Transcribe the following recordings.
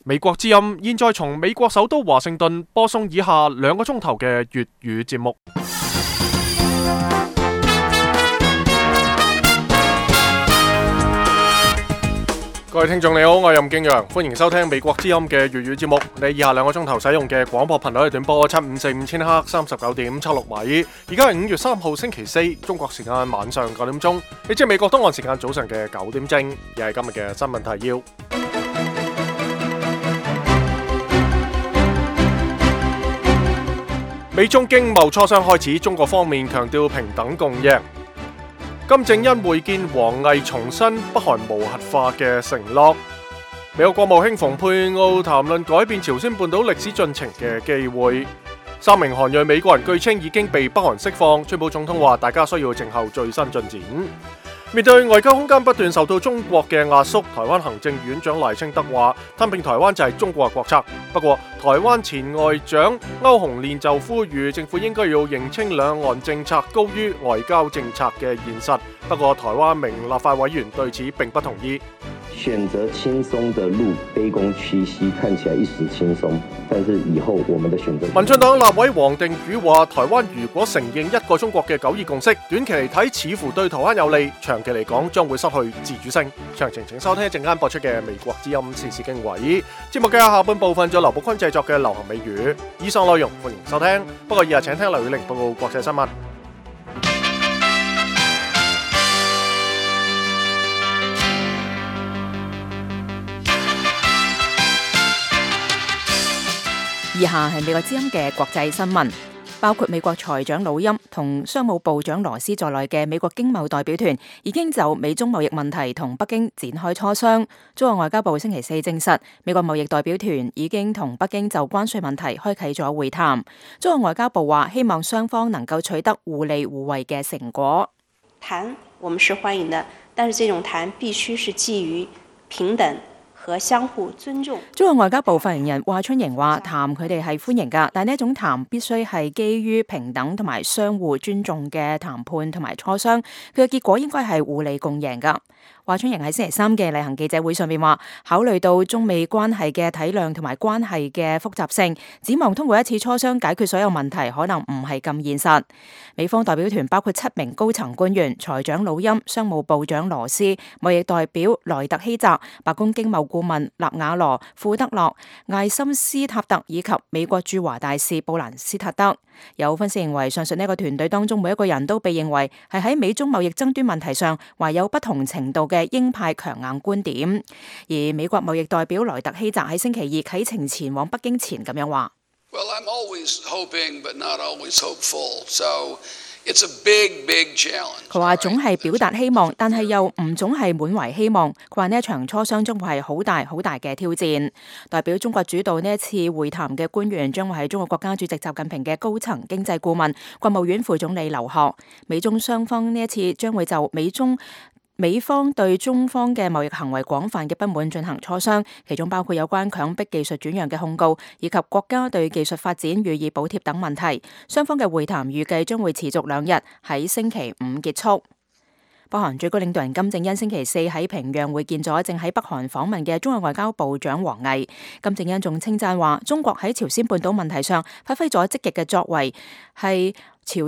美國之音現在從美國首都華盛頓播送以下2個鐘頭嘅粵語節目。各位聽眾你好，我係任敬陽，歡迎收聽美國之音嘅粵語節目。你以下2個鐘頭使用嘅廣播頻率係短波7545000赫39.76米。而家係5月3號星期四，中國時間晚上9點鐘，亦即係美國東岸時間早上嘅9點正。又係今日嘅新聞提要。美中經貿磋商開始，中國方面強調平等共贏。金正恩會見王毅，重申北韓無核化嘅承諾。美國國務卿蓬佩奧談論改變朝鮮半島歷史進程嘅機會。3名韓裔美國人據稱已經被北韓釋放，川普總統話大家需要靜候最新進展。面對外交空間不斷受到中國嘅壓縮，台灣行政院長賴清德話吞併台灣就係中國嘅國策。不過台灣前外長歐鴻練就呼籲政府應該要認清兩岸政策高於外交政策嘅現實。不過台灣名立法委員對此並不同意。選擇輕鬆的路，卑躬屈膝，看起來一時輕鬆，但是以後我們的選擇。民進黨立委黃定宇話：台灣如果承認一個中國嘅九二共識，短期嚟睇似乎對台灣有利，長期嚟講將會失去自主性。詳情請收聽一陣間播出嘅美國之音時事經緯節目嘅下半部分，仲有劉寶坤製作嘅流行美語。以上內容歡迎收聽，不過以下請聽劉宇玲報告國際新聞。以下係美國之音嘅國際新聞，包括美國財長魯欽同商務部長羅斯在內嘅美國經貿代表團已經就美中貿易問題同北京展開磋商。中國外交部星期四證實，美國貿易代表團已經同北京就關稅問題開啟咗會談。中國外交部話，希望雙方能夠取得互利互惠嘅成果。談我們是歡迎的，但是這種談必須是基於平等和相互尊重。中國外交部發言人華春瑩話：談佢哋係歡迎㗎，但呢一種談必須係基於平等同埋相互尊重嘅談判同埋磋商，佢嘅結果應該係互利共贏㗎。華春瑩喺星期三嘅例行記者會上面話，考慮到中美關係嘅體諒同埋關係嘅複雜性，展望通過一次磋商解決所有問題，可能唔係咁現實。美方代表團包括7名高層官員，財長魯欽、商務部長羅斯、貿易代表萊特希澤、白宮經貿顧問納瓦羅、庫德洛、艾森斯塔特以及美國駐華大使布蘭斯塔德。有分析認為，上述呢個團隊當中每一個人都被認為係喺美中貿易爭端問題上懷有不同程度嘅鷹派強硬觀點。而美國貿易代表萊特希澤喺星期二啟程前往北京前咁樣話：Well, I'm always hoping, but not always hopeful. So it's a big, big challenge. 佢話總係表達希望，但係又唔總係滿懷希望。佢話呢一場磋商將會係好大好大嘅挑戰。代表中國主導呢一次會談嘅官員將會係中國國家主席習近平嘅高層經濟顧問、國務院副總理劉鶴。美中雙方呢一次將會就美方對中方嘅貿易行為廣泛嘅不滿進行磋商，其中包括有關強迫技術轉讓嘅控告，以及國家對技術發展予以補貼等問題。雙方嘅會談預計將會持續2日，喺星期5結束。北韓最高領導人金正恩星期四喺平壤會見咗正喺北韓訪問嘅中國外交部長王毅。金正恩仲稱讚話，中國喺朝鮮半島問題上發揮咗積極嘅作為，係朝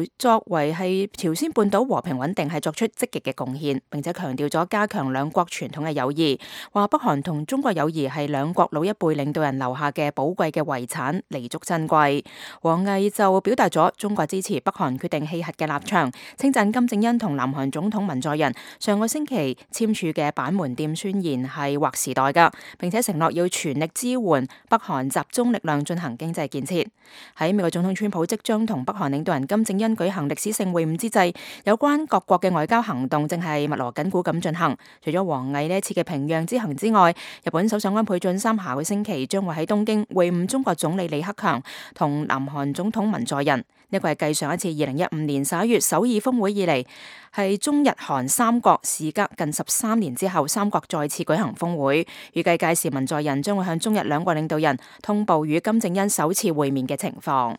鮮半島和平穩定係作出積極嘅貢獻，並且強調咗加強兩國傳統嘅友誼，話北韓同中國友誼係兩國老一輩領導人留下嘅寶貴嘅遺產，彌足珍貴。王毅就表達咗中國支持北韓決定棄核嘅立場，稱讚金正恩同南韓總統文在寅上個星期簽署嘅板門店宣言係劃時代㗎，並且承諾要全力支援北韓集中力量進行經濟建設。喺美國總統川普即將同北韓領導人金正恩舉行歷史性會晤之際，有關各國嘅外交行動正係密鑼緊鼓咁進行。除咗王毅呢一次嘅平壤之行之外，日本首相安倍晉三下個星期將會喺東京會晤中國總理李克強同南韓總統文在寅。呢個係繼上一次2015年11月首爾峰會以嚟，係中日韓三國事隔近13年之後，三國再次舉行峰會。預計屆時文在寅將會向中日兩國領導人通報與金正恩首次會面嘅情況。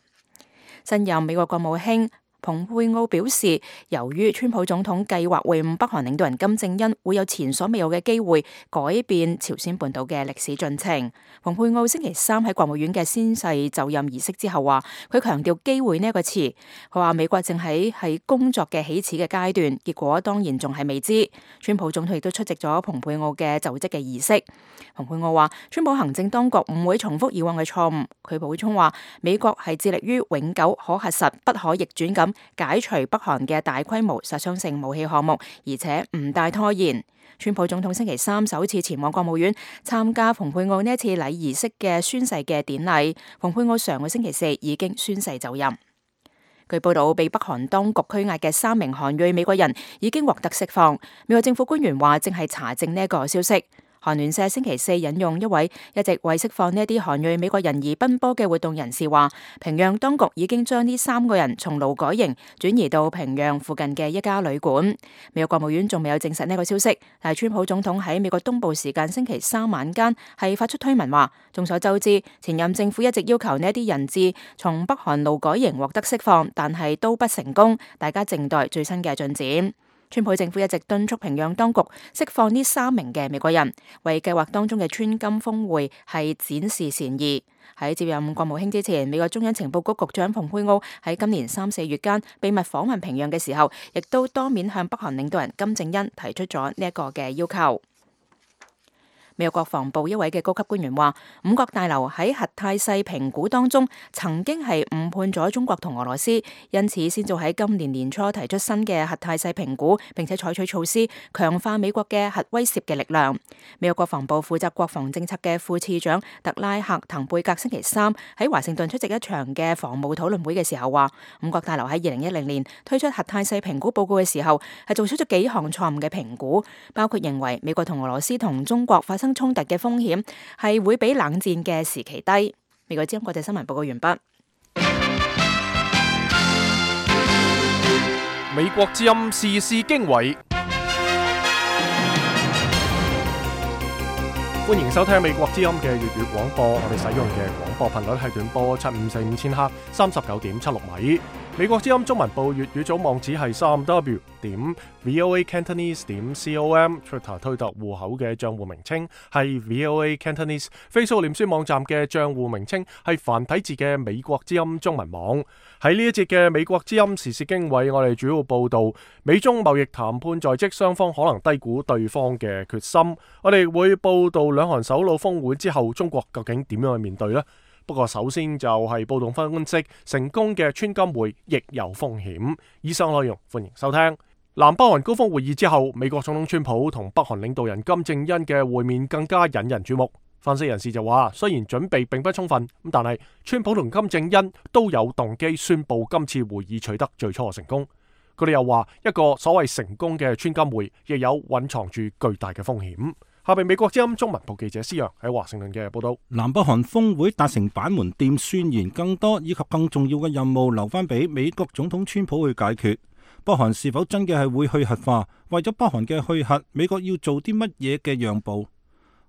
新任美國國務卿蓬佩奧表示，由於川普總統計劃會晤北韓領導人金正恩，會有前所未有嘅機會改變朝鮮半島嘅歷史進程。蓬佩奧星期三喺國務院嘅宣誓就任儀式之後話，佢強調機會呢一個詞，佢話美國正喺工作嘅起始嘅階段，結果當然仲係未知。川普總統亦都出席咗蓬佩奧嘅就職嘅儀式。蓬佩奧話，川普行政當局唔會重複以往嘅錯誤。佢補充話，美國係致力於永久可核實、不可逆轉咁解除北韓嘅大規模殺傷性武器項目，而且唔帶拖延。川普總統星期三首次前往國務院參加蓬佩奧呢一次禮儀式嘅宣誓嘅典禮。蓬佩奧上個星期四已經宣誓就任。據報道，被北韓當局拘押嘅3名韓裔美國人已經獲得釋放。美國政府官員話正係查證呢一個消息。韓聯社星期四引用一位一直為釋放呢一啲韓裔美國人而奔波嘅活動人士話，平壤當局已經將呢3個人從勞改營轉移到平壤附近嘅一家旅館。美國國務院仲未有證實呢個消息，但係川普總統喺美國東部時間星期三晚間係發出推文話，眾所周知，前任政府一直要求呢一啲人質從北韓勞改營獲得釋放，但係都不成功，大家靜待最新嘅進展。川普政府一直敦促平壤當局釋放呢3名嘅美國人，為計劃當中嘅川金峰會係展示善意。喺接任國務卿之前，美國中央情報局局長蓬佩奧喺今年3、4月間秘密訪問平壤嘅時候，亦都當面向北韓領導人金正恩提出咗呢一個嘅要求。美國國防部一位嘅高級官員話，五角大樓喺核態勢評估當中曾經係誤判咗中國同俄羅斯，因此先至喺今年年初提出新嘅核態勢評估，並且採取措施強化美國嘅核威懾嘅力量。美國國防部負責國防政策嘅副次長特拉克滕貝格星期三喺華盛頓出席一場嘅防務討論會嘅時候話，五角大樓喺2010年推出核態勢評估報告嘅時候係做出咗幾項錯誤嘅評估，包括認為美國同俄羅斯同中國發生衝突嘅風險係會比冷戰嘅時期低。美國之音國際新聞報告完畢。美國之音時事經緯，歡迎收聽美國之音嘅粵語廣播。我哋使用嘅廣播頻率係短波7545千赫39.76米。美國之音中文部粵語組網址係3w.voacantonese.com，Twitter 推特戶口嘅賬戶名稱係 VOA Cantonese，Facebook 臉書網站嘅賬戶名稱係繁體字嘅美國之音中文網。喺呢一節嘅美國之音時事經緯，我哋主要報道美中貿易談判在即，雙方可能低估對方嘅決心。我哋會報道兩韓首腦峰會之後，中國究竟點樣去面對呢？不過首先就係報道分析，成功嘅川金會亦有風險。以上內容歡迎收聽。南北韓高峰會議之後，美國總統川普同北韓領導人金正恩嘅會面更加引人注目。分析人士就話，雖然準備並不充分，但係川普同金正恩都有動機宣布今次會議取得最初嘅成功。佢哋又話，一個所謂成功嘅川金會亦有蘊藏住巨大嘅風險。下邊美國之音中文部記者施洋喺華盛頓嘅報道。南北韓峰會達成板門店宣言，更多以及更重要嘅任務留翻俾美國總統川普去解決。北韓是否真嘅係會去核化？為咗北韓嘅去核，美國要做啲乜嘢嘅讓步？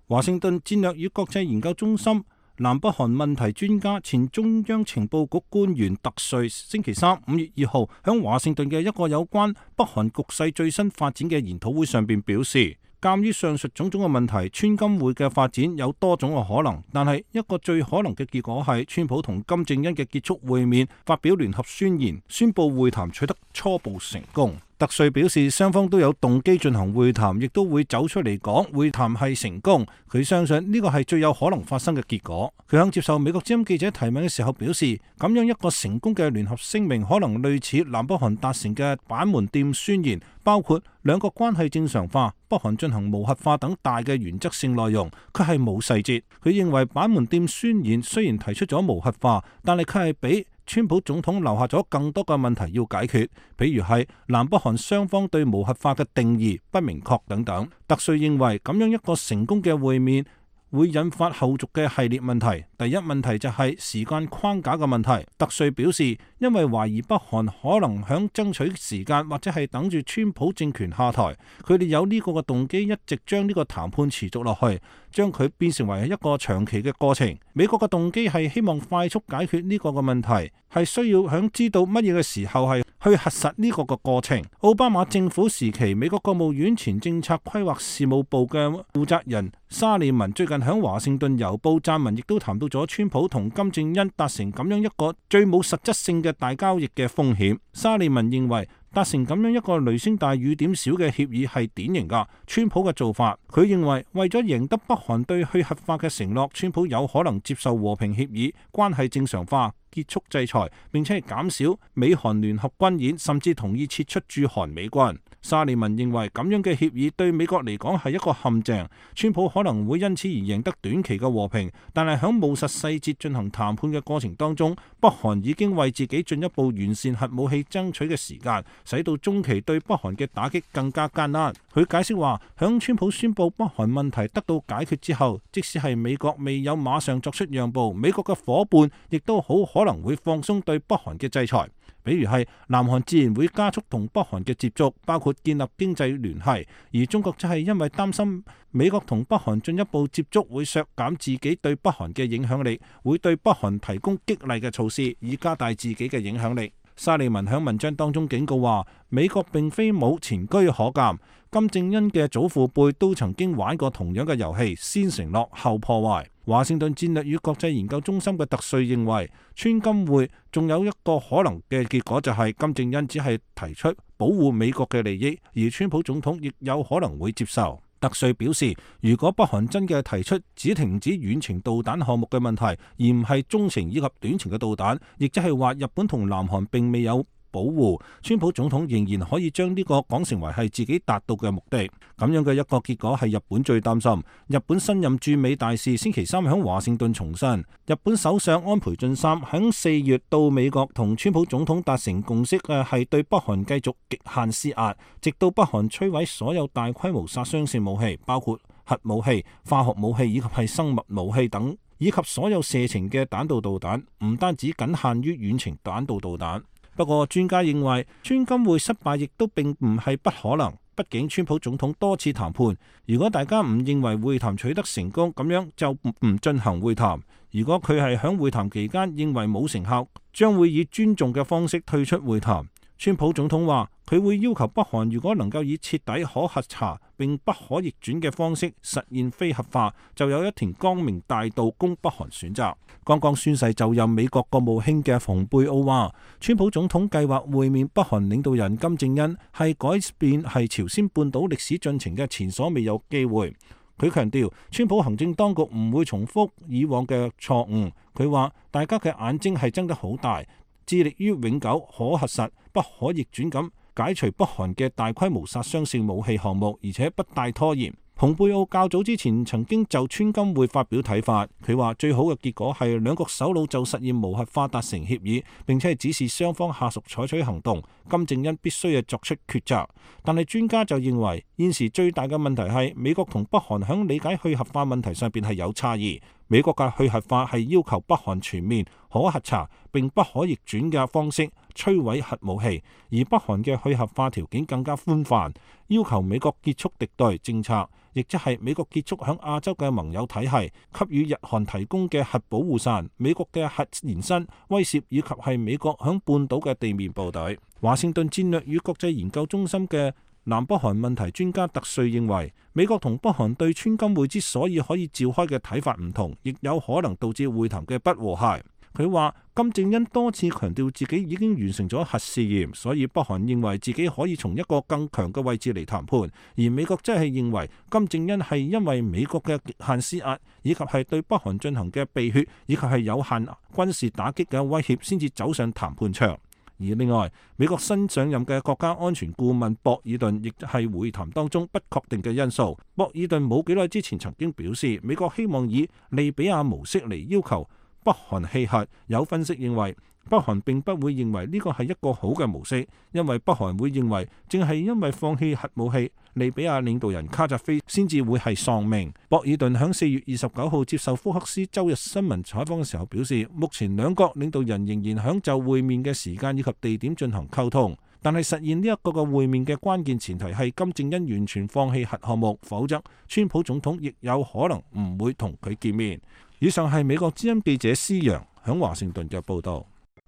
華盛頓戰略與國際研究中心南北韓問題專家、前中央情報局官員特瑞星期三5月2號喺華盛頓嘅一個有關北韓局勢最新發展嘅研討會上邊表示，鑑於上述種種嘅問題，川金會嘅發展有多種嘅可能，但係一個最可能嘅結果係川普同金正恩嘅結束會面，發表聯合宣言，宣布會談取得初步成功。特瑞表示，雙方都有動機進行會談，亦都會走出嚟講會談係成功。佢相信呢個係最有可能發生嘅結果。佢向接受美國之音記者提問嘅時候表示，咁樣一個成功嘅聯合聲明，可能類似南北韓達成嘅板門店宣言，包括兩國關係正常化、北韓進行無核化等大嘅原則性內容，佢係冇細節。佢認為板門店宣言雖然提出咗無核化，但係佢係比川普總統留下咗更多嘅問題要解決，比如係南北韓雙方對無核化嘅定義不明確等等。特瑞認為咁樣一個成功嘅會面會引發後續嘅系列問題。第一問題就係時間框架嘅問題。特瑞表示，因為懷疑北韓可能響爭取時間或者係等住川普政權下台，佢哋有呢個嘅動機一直將呢個談判持續落去，將佢變成為一個長期嘅過程。美國嘅動機係希望快速解決呢個嘅問題，係需要響知道乜嘢嘅時候係去核實呢個嘅過程。奧巴馬政府時期，美國國務院前政策規劃事務部嘅負責人沙利文最近響華盛頓郵報撰文，亦都談到咗川普同金正恩達成咁樣一個最冇實質性嘅大交易嘅風險。沙利文認為達成咁樣一個雷聲大雨點小嘅協議係典型㗎川普嘅做法。佢認為為咗贏得北韓對去核化嘅承諾，川普有可能接受和平協議、關係正常化、結束制裁，並且係減少美韓聯合軍演，甚至同意撤出駐韓美軍。沙利文認為咁樣嘅協議對美國嚟講係一個陷阱，川普可能會因此而贏得短期嘅和平，但係喺務實細節進行談判嘅過程當中，北韓已經為自己進一步完善核武器爭取嘅時間，使到中期對北韓嘅打擊更加艱難。佢解釋話，響川普宣布北韓問題得到解決之後，即使係美國未有馬上作出讓步，美國嘅夥伴亦都好可能會放鬆對北韓嘅制裁。比如係南韓自然會加速同北韓嘅接觸，包括建立經濟聯繫，而中國就係因為擔心美國同北韓進一步接觸會削減自己對北韓嘅影響力，會對北韓提供激勵嘅措施，以加大自己嘅影響力。沙利文喺文章當中警告話，美國並非冇前車可鑑，金正恩嘅祖父輩都曾經玩過同樣嘅遊戲，先承諾後破壞。華盛頓戰略與國際研究中心嘅特瑞認為，川金會仲有一個可能嘅結果，就係金正恩只係提出保護美國嘅利益，而川普總統亦有可能會接受。特瑞表示，如果北韓真嘅提出只停止遠程導彈項目嘅問題，而唔係中程以及短程嘅導彈，亦即係話日本同南韓並未有保護，川普總統仍然可以將呢個講成為係自己達到嘅目的。咁樣嘅一個結果係日本最擔心。日本新任駐美大使星期三喺華盛頓重申，日本首相安倍晉三喺4月到美國同川普總統達成共識嘅係對北韓繼續極限施壓，直到北韓摧毀所有大規模殺傷性武器，包括核武器、化學武器以及係生物武器等，以及所有射程嘅彈道導彈，唔單止僅限於遠程彈道導彈。不過專家認為，川金會失敗亦都並唔係不可能。畢竟川普總統多次談判，如果大家唔認為會談取得成功，咁樣就唔進行會談。如果佢係喺會談期間認為冇成效，將會以尊重嘅方式退出會談。川普總統話，佢會要求北韓如果能夠以徹底可核查並不可逆轉嘅方式實現非核化，就有一條光明大道供北韓選擇。剛剛宣誓就任美國國務卿嘅蓬佩奧話，川普總統計劃會面北韓領導人金正恩係改變係朝鮮半島歷史進程嘅前所未有機會。佢強調，川普行政當局唔會重複以往嘅錯誤。佢話，大家嘅眼睛係睜得好大，致力於永久可核實、不可逆轉咁解除北韓嘅大規模殺傷性武器項目，而且不帶拖延。蓬佩奧較早之前曾經就川金會發表睇法，佢話最好嘅結果係兩國首腦就實現無核化達成協議，並且係指示雙方下屬採取行動。金正恩必須係作出抉擇。但係專家就認為，現時最大嘅問題係美國同北韓響理解去核化問題上邊係有差異。美國嘅去核化係要求北韓全面可核查並不可逆轉嘅方式摧毀核武器，而北韓嘅去核化條件更加寬泛，要求美國結束敵對政策，亦即係美國結束響亞洲嘅盟友體系，給予日韓提供嘅核保護傘，美國嘅核延伸威懾，以及係美國響半島嘅地面部隊。華盛頓戰略與國際研究中心嘅南北韓問題專家特瑞認為，美國同北韓對川金會之所以可以召開嘅睇法唔同，亦有可能導致會談嘅不和諧。佢話金正恩多次強調自己已經完成咗核試驗，所以北韓認為自己可以從一個更強嘅位置嚟談判，而美國則係認為金正恩係因為美國嘅極限施壓，以及係對北韓進行嘅避血，以及係有限軍事打擊嘅威脅，先至走上談判場。而另外，美國新上任嘅國家安全顧問博爾頓亦係會談當中不確定嘅因素。博爾頓冇幾耐之前曾經表示，美國希望以利比亞模式嚟要求北韓棄核。有分析認為，北韓並不會認為呢個係一個好嘅模式，因為北韓會認為正係因為放棄核武器，利比亞領導人卡扎菲先至會係喪命。博爾頓喺4月29號接受福克斯周日新聞採訪嘅時候表示，目前兩國領導人仍然響就會面嘅時間以及地點進行溝通，但係實現呢一個嘅會面嘅關鍵前提係金正恩完全放棄核項目，否則川普總統亦有可能唔會同佢見面。以上係美國之音記者施洋響華盛頓嘅報道。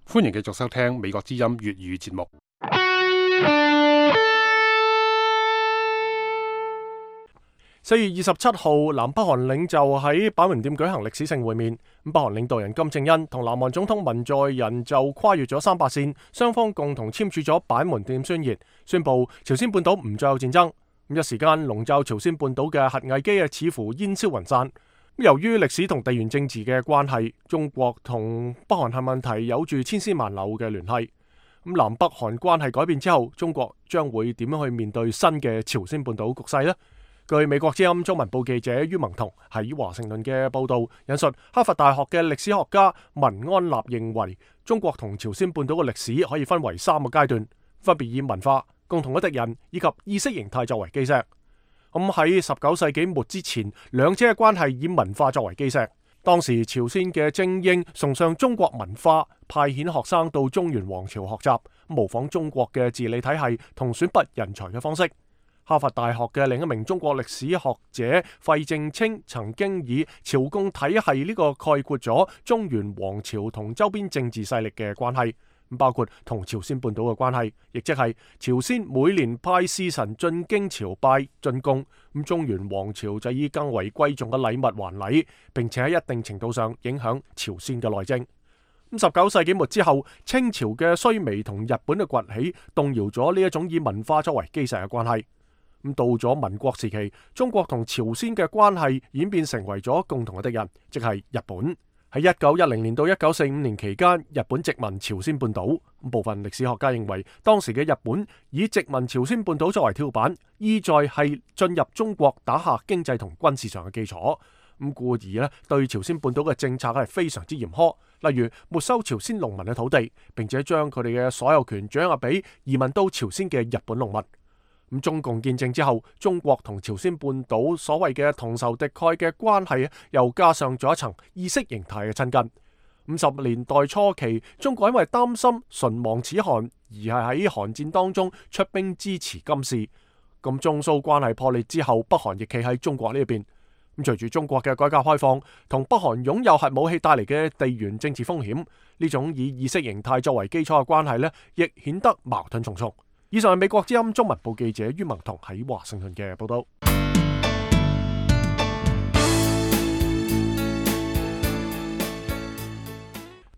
歡迎繼續收聽美國之音粵語節目。4月27號，南北韓領袖喺板門店舉行歷史性會面。北韓領導人金正恩同南韓總統文在寅就跨越咗300線，雙方共同簽署咗板門店宣言，宣布朝鮮半島唔再有戰爭。一時間籠罩朝鮮半島嘅核危機似乎煙消雲散。由於歷史同地緣政治嘅關係，中國同北韓核問題有住千絲萬縷嘅聯繫。南北韓關係改變之後，中國將會點樣去面對新嘅朝鮮半島局勢呢？據美國之音中文部記者于萌彤喺華盛頓嘅報道引述，哈佛大學嘅歷史學家文安納認為，中國同朝鮮半島嘅歷史可以分為3個階段，分別以文化、共同嘅敵人以及意識形態作為基石。喺19世紀末之前，兩者嘅關係以文化作為基石。當時朝鮮嘅精英崇尚中國文化，派遣學生到中原王朝學習，模仿中國嘅治理體系同選拔人才嘅方式。哈佛大學嘅另一名中國歷史學者費正清曾經以朝貢體系呢個概括咗中原王朝同周邊政治勢力嘅關係，包括同朝鮮半島嘅關係，亦即係朝鮮每年派使臣進京朝拜進貢，中原王朝就以更為貴重嘅禮物還禮，並且喺一定程度上影響朝鮮嘅內政。19世紀末之後，清朝嘅衰微同日本嘅崛起，動搖咗呢一種以文化作為基石嘅關係。到咗民國時期，中國同朝鮮嘅關係演變成為咗共同嘅敵人，即係日本。喺1910年到1945年期間，日本殖民朝鮮半島。部分歷史學家認為，當時嘅日本以殖民朝鮮半島作為跳板，意在係進入中國打下經濟同軍事上嘅基礎。故而咧，對朝鮮半島嘅政策係非常之嚴苛，例如沒收朝鮮農民嘅土地，並且將佢哋嘅所有權掌握俾移民到朝鮮嘅日本農民。中共建政之後，中國同朝鮮半島所謂嘅同仇敵愾嘅關係，又加上咗一層意識形態嘅親近。50年代初期，中國因為擔心唇亡齒寒，而係喺韓戰當中出兵支持金氏。中蘇關係破裂之後，北韓亦企喺中國呢一邊。隨住中國嘅改革開放，同北韓擁有核武器帶嚟嘅地緣政治風險，呢種以意識形態作為基礎嘅關係亦顯得矛盾重重。以上係美國之音中文部記者于萌彤喺華盛頓嘅報道。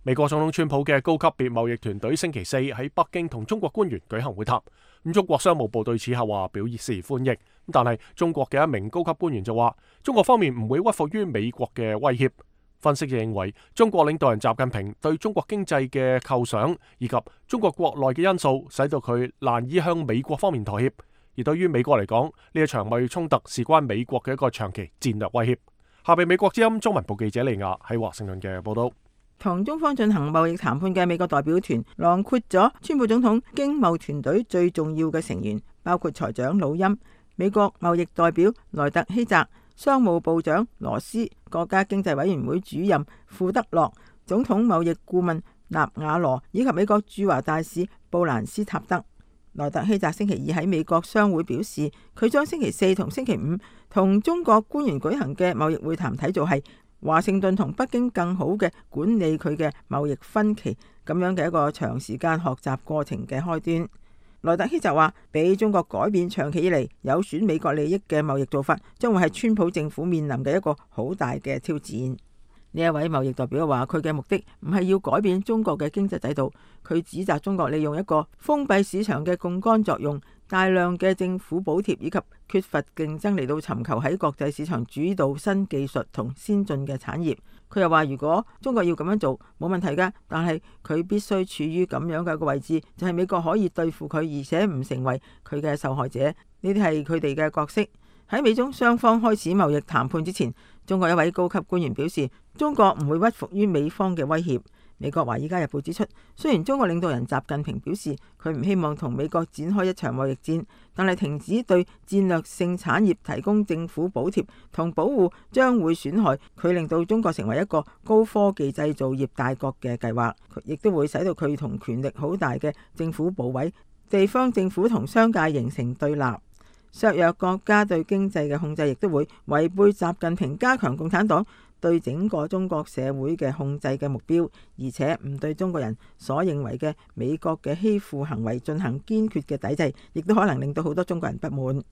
美國總統川普嘅高級別貿易團隊星期四喺北京同中國官員舉行會談。中國商務部對此係話表示歡迎，但係中國嘅一名高級官員就話，中國方面唔會屈服於美國嘅威脅。分析就認為，中國領導人習近平對中國經濟嘅構想以及中國國內嘅因素，使到佢難以向美國方面妥協。而對於美國嚟講，呢一場貿易衝突事關美國嘅一個長期戰略威脅。下邊美國之音中文部記者利亞喺華盛頓嘅報道。同中方進行貿易談判嘅美國代表團，囊括咗川普總統經貿團隊最重要嘅成員，包括財長魯欽、美國貿易代表萊特希澤、商務部長羅斯、國家經濟委員會主任庫德洛、總統貿易顧問納瓦羅以及美國駐華大使布蘭斯塔德。萊特希澤星期二喺美國商會表示，佢將星期四同星期五同中國官員舉行嘅貿易會談睇做係華盛頓同北京更好嘅管理佢嘅貿易分歧咁樣嘅一個長時間學習過程嘅開端。萊特希澤話，俾中國改變長期以嚟有損美國利益嘅貿易做法，將會係川普政府面臨嘅一個好大嘅挑戰。呢一位貿易代表話，佢嘅目的唔係要改變中國嘅經濟制度，佢指責中國利用一個封閉市場嘅槓桿作用，大量嘅政府補貼以及缺乏競爭嚟到尋求喺國際市場主導新技術同先進嘅產業。佢又話，如果中國要咁樣做冇問題㗎，但係佢必須處於咁樣嘅一個位置，就係美國可以對付佢，而且唔成為佢嘅受害者。呢啲係佢哋嘅角色。喺美中雙方開始貿易談判之前，中國一位高級官員表示，中國唔會屈服於美方嘅威脅。美國《華爾街日報》指出，雖然中國領導人習近平表示佢唔希望同美國展開一場貿易戰，但係停止對戰略性產業提供政府補貼同保護將會損害佢令到中國成為一個高科技製造業大國嘅計劃，亦都會使到佢同權力好大嘅政府部委、地方政府同商界形成對立。削弱國家對經濟嘅控制，亦都會違背習近平加強共產黨對整個中國社會嘅控制嘅目標，而且唔對中國人所認為嘅美國嘅欺負行為進行堅決嘅抵制，亦都可能令到好多中國人不滿。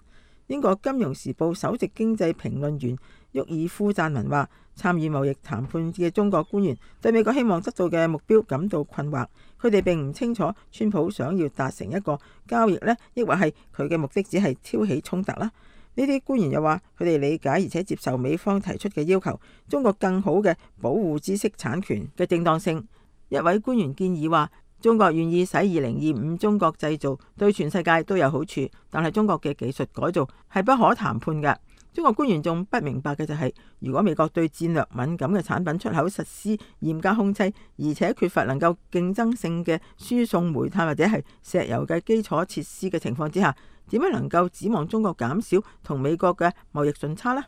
英國金融時報首席經濟評論員沃爾夫撰文話，參與貿易談判嘅中國官員對美國希望得到嘅目標感到困惑，佢哋並唔清楚川普想要達成一個交易呢，抑或係佢嘅目的只係挑起衝突啦。呢啲官員又話，佢哋理解而且接受美方提出嘅要求，中國更好嘅保護知識產權嘅正當性。一位官員建議話，中國願意使2025中國製造對全世界都有好處，但係中國嘅技術改造係不可談判嘅。中國官員仲不明白嘅就係，如果美國對戰略敏感嘅產品出口實施嚴格控制，而且缺乏能夠競爭性嘅輸送煤炭或者係石油嘅基礎設施嘅情況之下，點樣能夠指望中國減少同美國嘅貿易順差呢？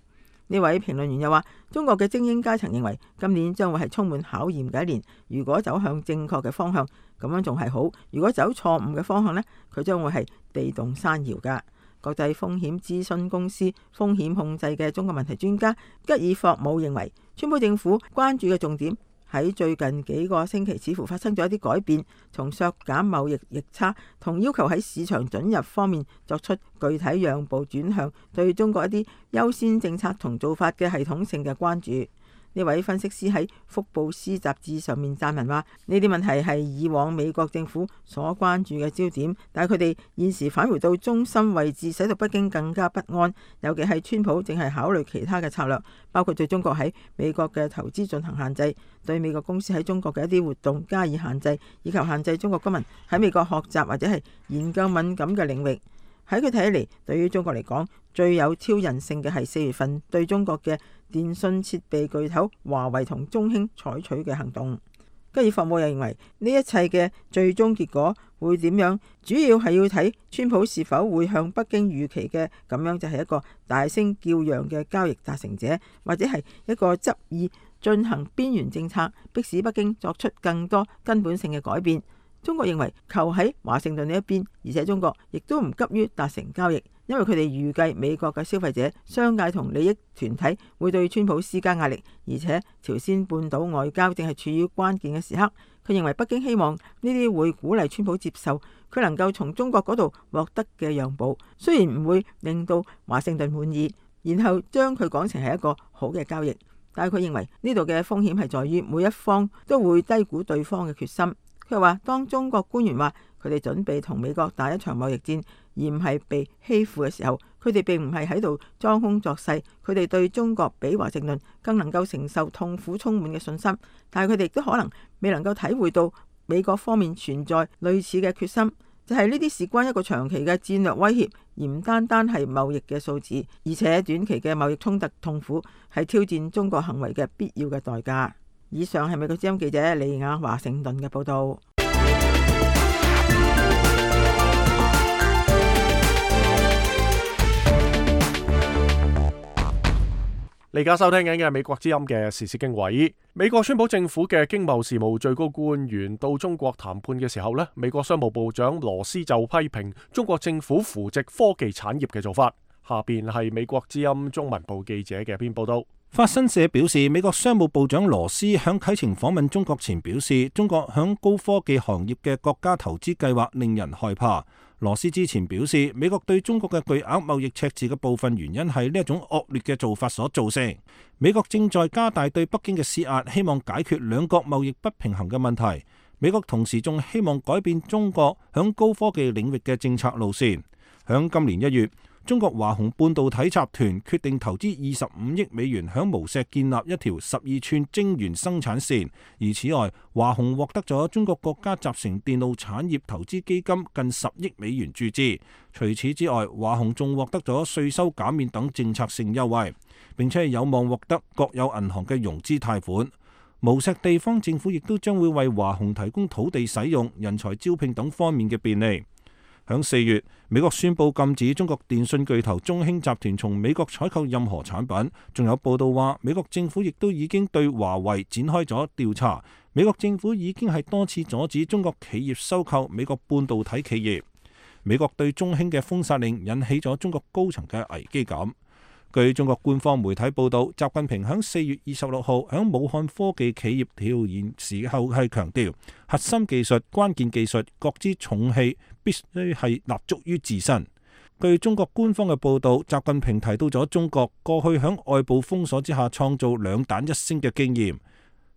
呢位評論員又話，中國嘅精英階層認為今年將會係充滿考驗嘅一年，如果走向正確嘅方向，咁樣仲係好；如果走錯誤嘅方向呢，佢將會係地動山搖㗎。國際風險諮詢公司風險控制嘅中國問題專家吉爾霍姆認為，川普政府關注嘅重點喺最近幾個星期似乎發生咗一啲改變，從削減貿易逆差同要求喺市場准入方面作出具體讓步，轉向對中國一啲優先政策同做法嘅系統性嘅關注。呢位分析師喺福布斯雜誌上面撰文話，呢啲問題係以往美國政府所關注嘅焦點，但係佢哋現時返回到中心位置，使到北京更加不安。尤其係川普正係考慮其他嘅策略，包括對中國喺美國嘅投資進行限制，對美國公司喺中國嘅一啲活動加以限制，以及限制中國公民喺美國學習或者係研究敏感嘅領域。喺佢睇嚟，對於中國嚟講，最有挑釁性嘅係4月份對中國嘅電信設備巨頭華為同中興採取嘅行動。吉爾霍姆又認為，呢一切嘅最終結果會點樣，主要係要睇川普是否會向北京預期嘅咁樣，就係一個大聲叫嚷嘅交易達成者，或者係一個執意進行邊緣政策，迫使北京作出更多根本性嘅改變。中國認為球喺華盛頓呢一邊，而且中國亦都唔急於達成交易，因為佢哋預計美國嘅消費者、商界同利益團體會對川普施加壓力，而且朝鮮半島外交正係處於關鍵嘅時刻。佢認為北京希望呢啲會鼓勵川普接受佢能夠從中國嗰度獲得嘅讓步，雖然唔會令到華盛頓滿意，然後將佢講成係一個好嘅交易，但係佢認為呢度嘅風險係在於每一方都會低估對方嘅決心。佢話，當中國官員話佢哋準備同美國打一場貿易戰，而唔係被欺負嘅時候，佢哋並唔係喺度裝腔作勢，佢哋對中國比華盛頓更能夠承受痛苦充滿嘅信心，但係佢哋亦都可能未能夠體會到美國方面存在類似嘅決心，就係呢啲事關一個長期嘅戰略威脅，而唔單單係貿易嘅數字，而且短期嘅貿易衝突痛苦係挑戰中國行為嘅必要嘅代價。以上係美國之音記者李雅華盛頓嘅報道。你而家收聽緊嘅係美國之音嘅時事經緯。美國川普政府嘅經貿事務最高官員到中國談判嘅時候呢，美國商務部長羅斯就批評中國政府扶植科技產業嘅做法。下邊係美國之音中文部記者嘅一篇報道。法新社表示，美國商務部長羅斯響啟程訪問中國前表示，中國響高科技行業嘅國家投資計劃令人害怕。羅斯之前表示，美國對中國嘅巨額貿易赤字嘅部分原因係呢一種惡劣嘅做法所造成。美國正在加大對北京嘅施壓，希望解決兩國貿易不平衡嘅問題。美國同時仲希望改變中國響高科技領域嘅政策路線。響今年1月，中國華虹半導體集團決定投資25億美元響無錫建立一條12寸晶圓生產線，而此外，華虹獲得咗中國國家集成電路產業投資基金近10億美元注資。除此之外，華虹仲獲得咗稅收減免等政策性優惠。並且係有望獲得國有銀行嘅融資貸款。無錫地方政府亦都將會為華虹提供土地使用、人才招聘等方面嘅便利。響4月，美國宣布禁止中國電信巨頭中興集團從美國採購任何產品。仲有報道話，美國政府亦都已經對華為展開咗調查。美國政府已經係多次阻止中國企業收購美國半導體企業。美國對中興嘅封殺令引起咗中國高層嘅危機感。據中國官方媒體報道，習近平喺4月26號喺武漢科技企業調研時候係強調，核心技術、關鍵技術各支重器必須係立足於自身。據中國官方嘅報道，習近平提到咗中國過去喺外部封鎖之下創造兩彈一星嘅經驗。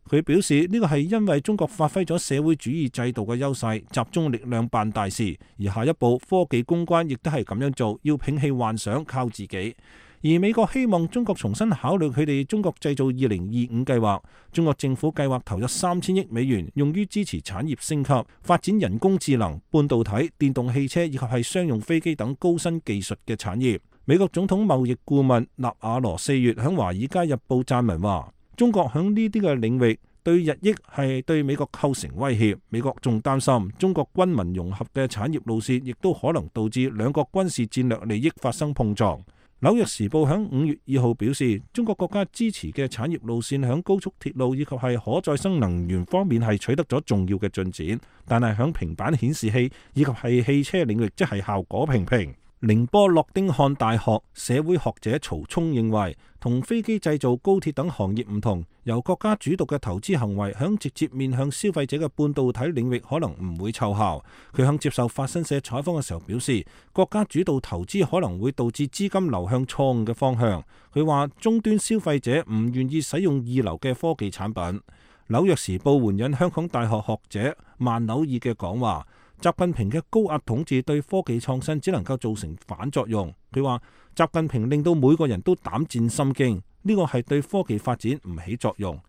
佢表示呢個係因為中國發揮咗社會主義制度嘅優勢，集中力量辦大事。而下一步科技攻關亦都係咁樣做，要摒棄幻想，靠自己。而美國希望中國重新考慮佢哋中國製造2025計劃。中國政府計劃投入3000億美元，用於支持產業升級、發展人工智能、半導體、電動汽車以及係商用飛機等高新技術嘅產業。美國總統貿易顧問納瓦羅4月喺華爾街日報撰文話，中國喺呢啲嘅領域對日益係對美國構成威脅。美國仲擔心中國軍民融合嘅產業路線，亦都可能導致兩國軍事戰略利益發生碰撞。紐約時報喺5月2號表示，中國國家支持嘅產業路線喺高速鐵路以及係可再生能源方面係取得咗重要嘅進展，但係喺平板顯示器以及係汽車領域，即係效果平平。寧波諾丁漢大學社會學者曹聰認為，同飛機製造、高鐵等行業唔同，由國家主導嘅投資行為響直接面向消費者嘅半導體領域可能唔會奏效。佢響接受法新社採訪嘅時候表示，國家主導投資可能會導致資金流向錯誤嘅方向。佢話終端消費者唔願意使用二流嘅科技產品。紐約時報援引香港大學學者萬紐爾嘅講話，習近平嘅高壓統治對科技創新只能夠造成反作用。佢話習近平令到每個人都膽戰心驚，呢個係對科技發展唔起作用。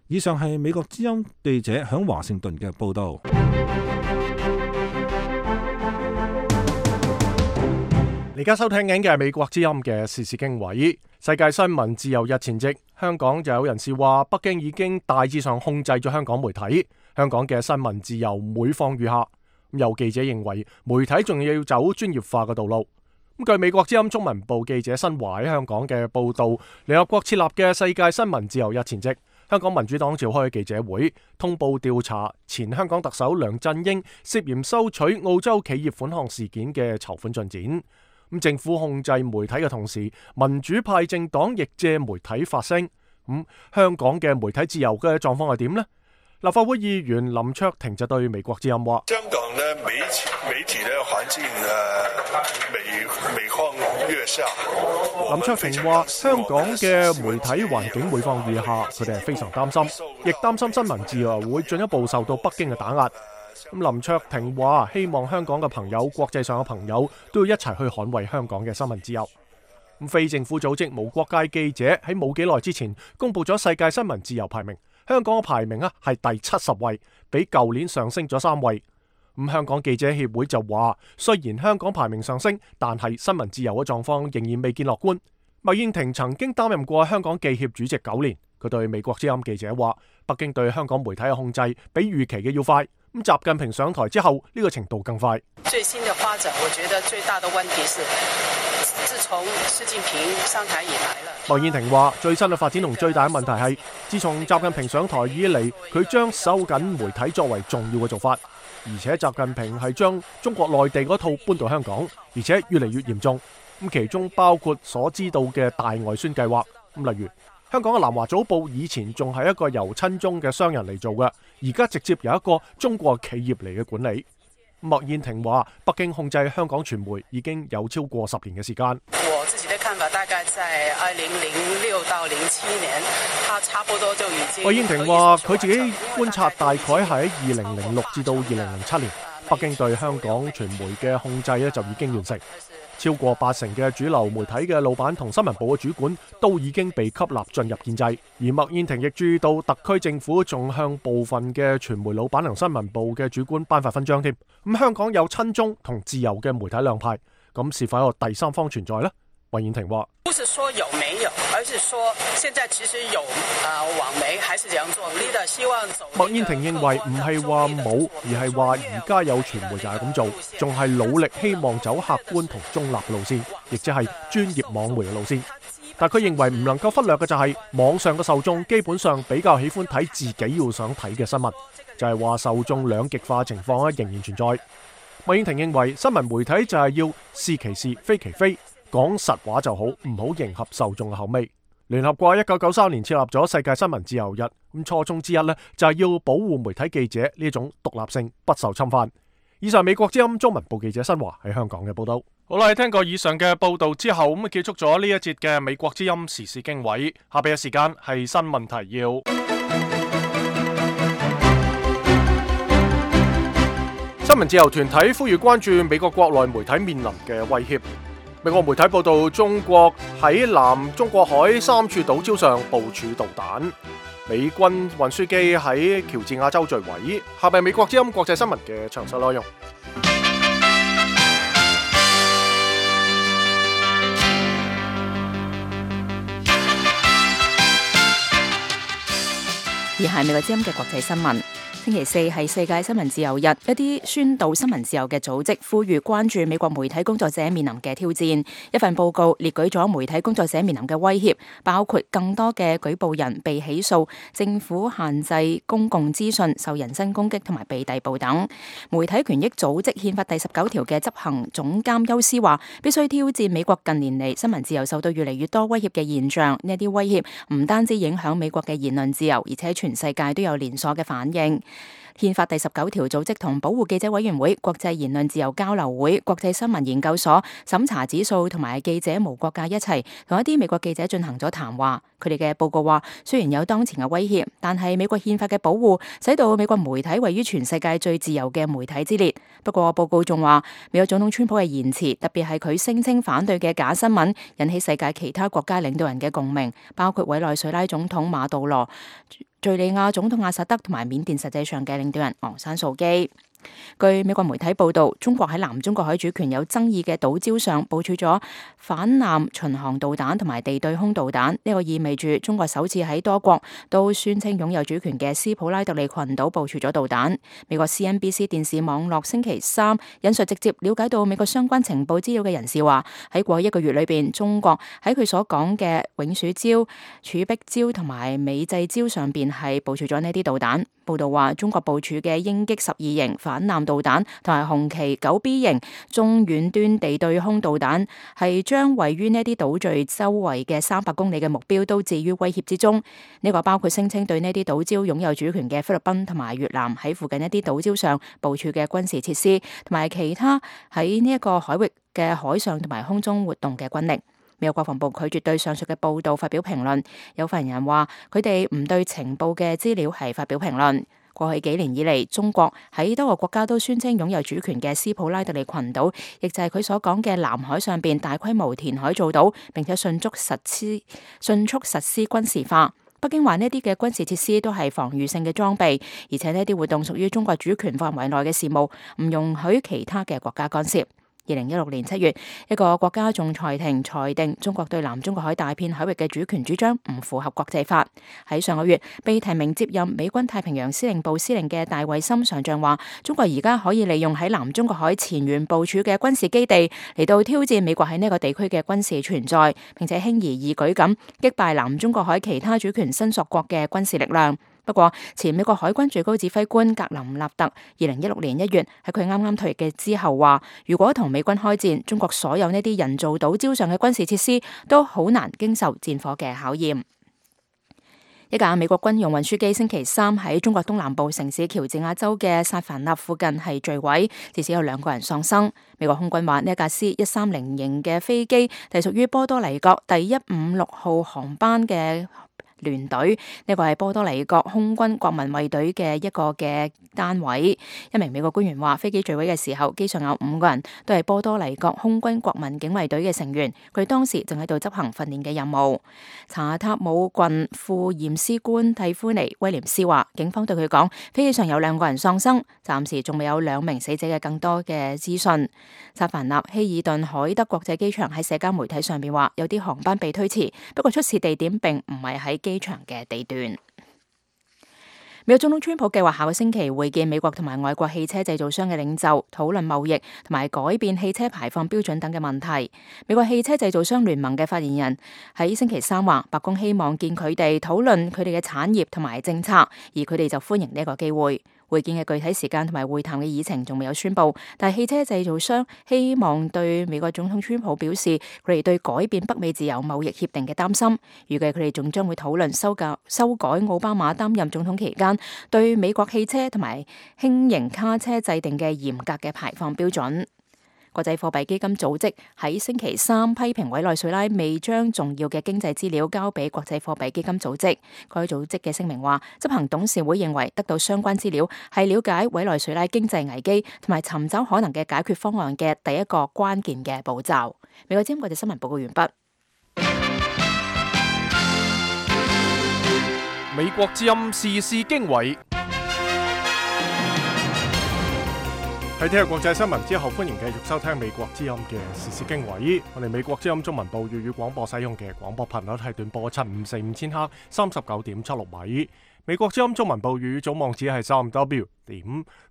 以上係美國之音記者響華盛頓嘅報道。而家收聽緊嘅係美國之音嘅時事經緯。世界新聞自由日前夕，香港就有人士話，北京已經大致上控制咗香港媒體，香港嘅新聞自由每況愈下。有記者認為，媒體仲要走專業化嘅道路。據美國之音中文部記者新華喺香港嘅報導，聯合國設立嘅世界新聞自由日前夕，香港民主黨召開記者會，通報調查前香港特首梁振英涉嫌收取澳洲企業款項事件嘅籌款進展。政府控制媒體嘅同時，民主派政黨亦借媒體發聲。香港嘅媒體自由嘅狀況係點呢？立法會議員林卓廷就對美國之音話：香港嘅媒體嘅環境每況愈下。林卓廷話：香港嘅媒體環境每況愈下，佢哋係非常擔心，亦擔心新聞自由會進一步受到北京嘅打壓。林卓廷話：希望香港嘅朋友、國際上嘅朋友都要一齊去捍衛香港嘅新聞自由。非政府組織無國界記者喺冇幾耐之前公布咗世界新聞自由排名，香港嘅排名係第70位，比舊年上升咗3位。香港記者協會就話，雖然香港排名上升，但係新聞自由嘅狀況仍然未見樂觀。麥燕庭曾經擔任過香港記協主席9年，佢對美國之音記者話，北京對香港媒體嘅控制比預期嘅要快。習近平上台之後，呢個程度更快。最新的發展，我覺得最大的問題是，自從習近平上台以來了。麥燕庭話，最新嘅發展同最大嘅問題係，自從習近平上台以嚟，佢將收緊媒體作為重要嘅做法，而且習近平係將中國內地嗰套搬到香港，而且越嚟越嚴重。其中包括所知道嘅大外宣計劃。例如香港嘅南華早報以前仲係一個由親中嘅商人嚟做嘅，而家直接由一個中國企業嚟嘅管理。麥燕庭話，北京控制香港傳媒已經有超過10年嘅時間。我自己的看法大概在2006到07年，他差不多就已經。麥燕庭話，佢自己觀察大概係喺2006至到2007年，北京對香港傳媒嘅控制就已經完成。超過80%嘅主流媒體嘅老闆同新聞部嘅主管都已經被吸納進入建制，而麥燕庭亦注意到特區政府仲向部分嘅傳媒老闆同新聞部嘅主管頒發勳章添。香港有親中同自由嘅媒體兩派，咁是否有第三方存在呢？麥燕庭話：不是說有沒有，而是說現在其實有網媒還是這樣做。leader 希望走。麥燕庭認為唔係話冇，而係話而家有傳媒就係咁做，仲係努力希望走客觀同中立嘅路線，亦即係專業網媒嘅路線。但佢認為唔能夠忽略嘅就係網上嘅受眾基本上比較喜歡睇自己要想睇嘅新聞，就係話受眾兩極化情況仍然存在。麥燕庭認為新聞媒體就係要是其是非其非，講實話就好，唔好迎合受眾嘅口味。聯合國1993年設立咗世界新聞自由日，咁初衷之一呢，就係要保護媒體記者呢種獨立性不受侵犯。以上美國之音中文部記者新華喺香港嘅報道。好啦，聽過以上嘅報道之後，咁結束咗呢一節嘅美國之音時事經緯。下邊嘅時間係新聞提要。新聞自由團體呼籲關注美國國內媒體面臨嘅威脅。美國媒體報道，中國喺南中國海3處島礁上部署導彈。美軍運輸機喺喬治亞州墜毀。下邊美國之音國際新聞嘅詳細內容。而係美國之音嘅國際新聞。星期四係世界新聞自由日，一啲宣導新聞自由嘅組織呼籲關注美國媒體工作者面臨嘅挑戰。一份報告列舉咗媒體工作者面臨嘅威脅，包括更多嘅舉報人被起訴、政府限制公共資訊、受人身攻擊同埋被逮捕等。媒體權益組織憲法第19條嘅執行總監休斯話，必須挑戰美國近年嚟新聞自由受到越嚟越多威脅嘅現象。呢啲威脅唔單止影響美國嘅言論自由，而且全世界都有連鎖嘅反應。憲法第19條組織同保護記者委員會、國際言論自由交流會、國際新聞研究所、審查指數同埋記者無國界一齊同一啲美國記者進行咗談話。佢哋嘅報告話，雖然有當前嘅威脅，但係美國憲法嘅保護使到美國媒體位於全世界最自由嘅媒體之列。不過報告仲話，美國總統川普嘅言辭，特別係佢聲稱反對嘅假新聞，引起世界其他國家領導人嘅共鳴，包括委內瑞拉總統馬杜羅、敘利亞總統阿薩德同埋緬甸實際上嘅領導人昂山素基。據美國媒體報道，中國喺南中國海主權有爭議嘅島礁上部署咗反艦巡航導彈同埋地對空導彈，呢個意味住中國首次喺多國都宣稱擁有主權嘅斯普拉特利群島部署咗導彈。美國 CNBC 電視網絡星期三引述直接了解到美國相關情報資料嘅人士話，喺過去1個月裏邊，中國喺佢所講嘅永暑礁、儲碧礁同埋美濟礁上邊係部署咗呢啲導彈。報道話，中國部署嘅鷹擊12型反艦導彈同埋紅旗 9B 型中遠端地對空導彈，係將位於呢啲島嶼周圍嘅300公里嘅目標都置於威脅之中。呢個包括聲稱對呢啲島礁擁有主權嘅菲律賓同埋越南喺附近一啲島礁上部署嘅軍事設施，同埋其他喺呢一個海域嘅海上同埋空中活動嘅軍力。美國國防部拒絕對上述嘅報道發表評論。有發言人話，佢哋唔對情報嘅資料係發表評論。過去幾年以嚟，中國喺多個國家都宣稱擁有主權嘅斯普拉特利群島，亦就係佢所講嘅南海上邊大規模填海造島，並且迅速實施軍事化。北京話呢啲嘅軍事設施都係防禦性嘅裝備，而且呢啲活動屬於中國主權範圍內嘅事務，唔容許其他嘅國家干涉。2016年7月，一個國家仲裁庭裁定中國對南中國海大片海域嘅主權主張唔符合國際法。喺上個月，被提名接任美軍太平洋司令部司令嘅戴維森上將話，中國而家可以利用喺南中國海前沿部署嘅軍事基地嚟到挑戰美國喺呢個地區嘅軍事存在，並且輕而易舉咁擊敗南中國海其他主權申索國嘅軍事力量。不過，前美國海軍最高指揮官格林納特2016年1月喺佢啱啱退役嘅之後話，如果同美軍開戰，中國所有呢啲人造島礁上嘅軍事設施都好難經受戰火嘅考驗。一架美國軍用運輸機星期三喺中國東南部城市喬治亞州嘅薩凡納附近係墜毀，至少有2個人喪生。美國空軍話呢一架 C-130型嘅飛機係屬於波多黎各第156號航班嘅聯隊，呢個係波多黎各空軍國民衛隊嘅一個嘅單位。一名美國官員話，飛機墜毀嘅時候，機上有5個人，都係波多黎各空軍國民警衛隊嘅成員，佢哋當時正喺度執行訓練嘅任務。查塔姆郡副驗屍官蒂夫尼威廉斯話，警方對佢講，飛機上有2個人喪生，暫時仲未有2名死者嘅更多嘅資訊。薩凡納希爾頓海德國際機場喺社交媒體上邊話，有啲航班被推遲，不過出事地點並唔係喺機場嘅地段。美國總統川普計劃下個星期會見美國同埋外國汽車製造商嘅領袖，討論貿易同埋改變汽車排放標準等嘅問題。美國汽車製造商聯盟嘅發言人喺星期3話，白宮希望見佢哋討論佢哋嘅產業同埋政策，而佢哋就歡迎呢一個機會。會見嘅具體時間同埋會談嘅議程仲未有宣佈，但係汽車製造商希望對美國總統川普表示佢哋對改變北美自由貿易協定嘅擔心。預計佢哋仲將會討論修改奧巴馬擔任總統期間對美國汽車同埋輕型卡車制定嘅嚴格嘅排放標準。國際貨幣基金組織喺星期3批評委內瑞拉未將重要嘅經濟資料交俾國際貨幣基金組織。該組織嘅聲明話，執行董事會認為得到相關資料係了解委內瑞拉經濟危機同埋尋找可能嘅解決方案嘅第一個關鍵嘅步驟。美國之音國際新聞報告完畢。美國之音時事經緯。喺聽日國際新聞之後，歡迎繼續收聽美國之音嘅時事經緯。我哋美國之音中文部粵語廣播使用嘅廣播頻率係短波7545千赫39.76米。美國之音中文部粵語總網址係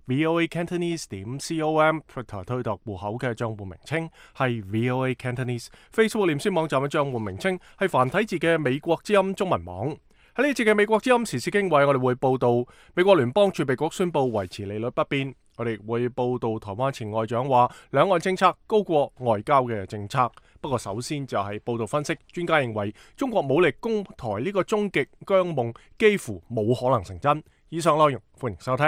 3w.voacantonese.com，Twitter 推特戶口嘅賬戶名稱係 VOA Cantonese，Facebook 臉書網站嘅賬戶名稱係繁體字嘅美國之音中文網。喺呢節嘅美國之音時事經緯，我哋會報道美國聯邦儲備局宣布維持利率不變。我哋會報道台灣前外長話兩岸政策高過外交嘅政策。不過首先就係報道分析，專家認為中國武力攻台呢個終極疆夢幾乎冇可能成真。以上內容歡迎收聽。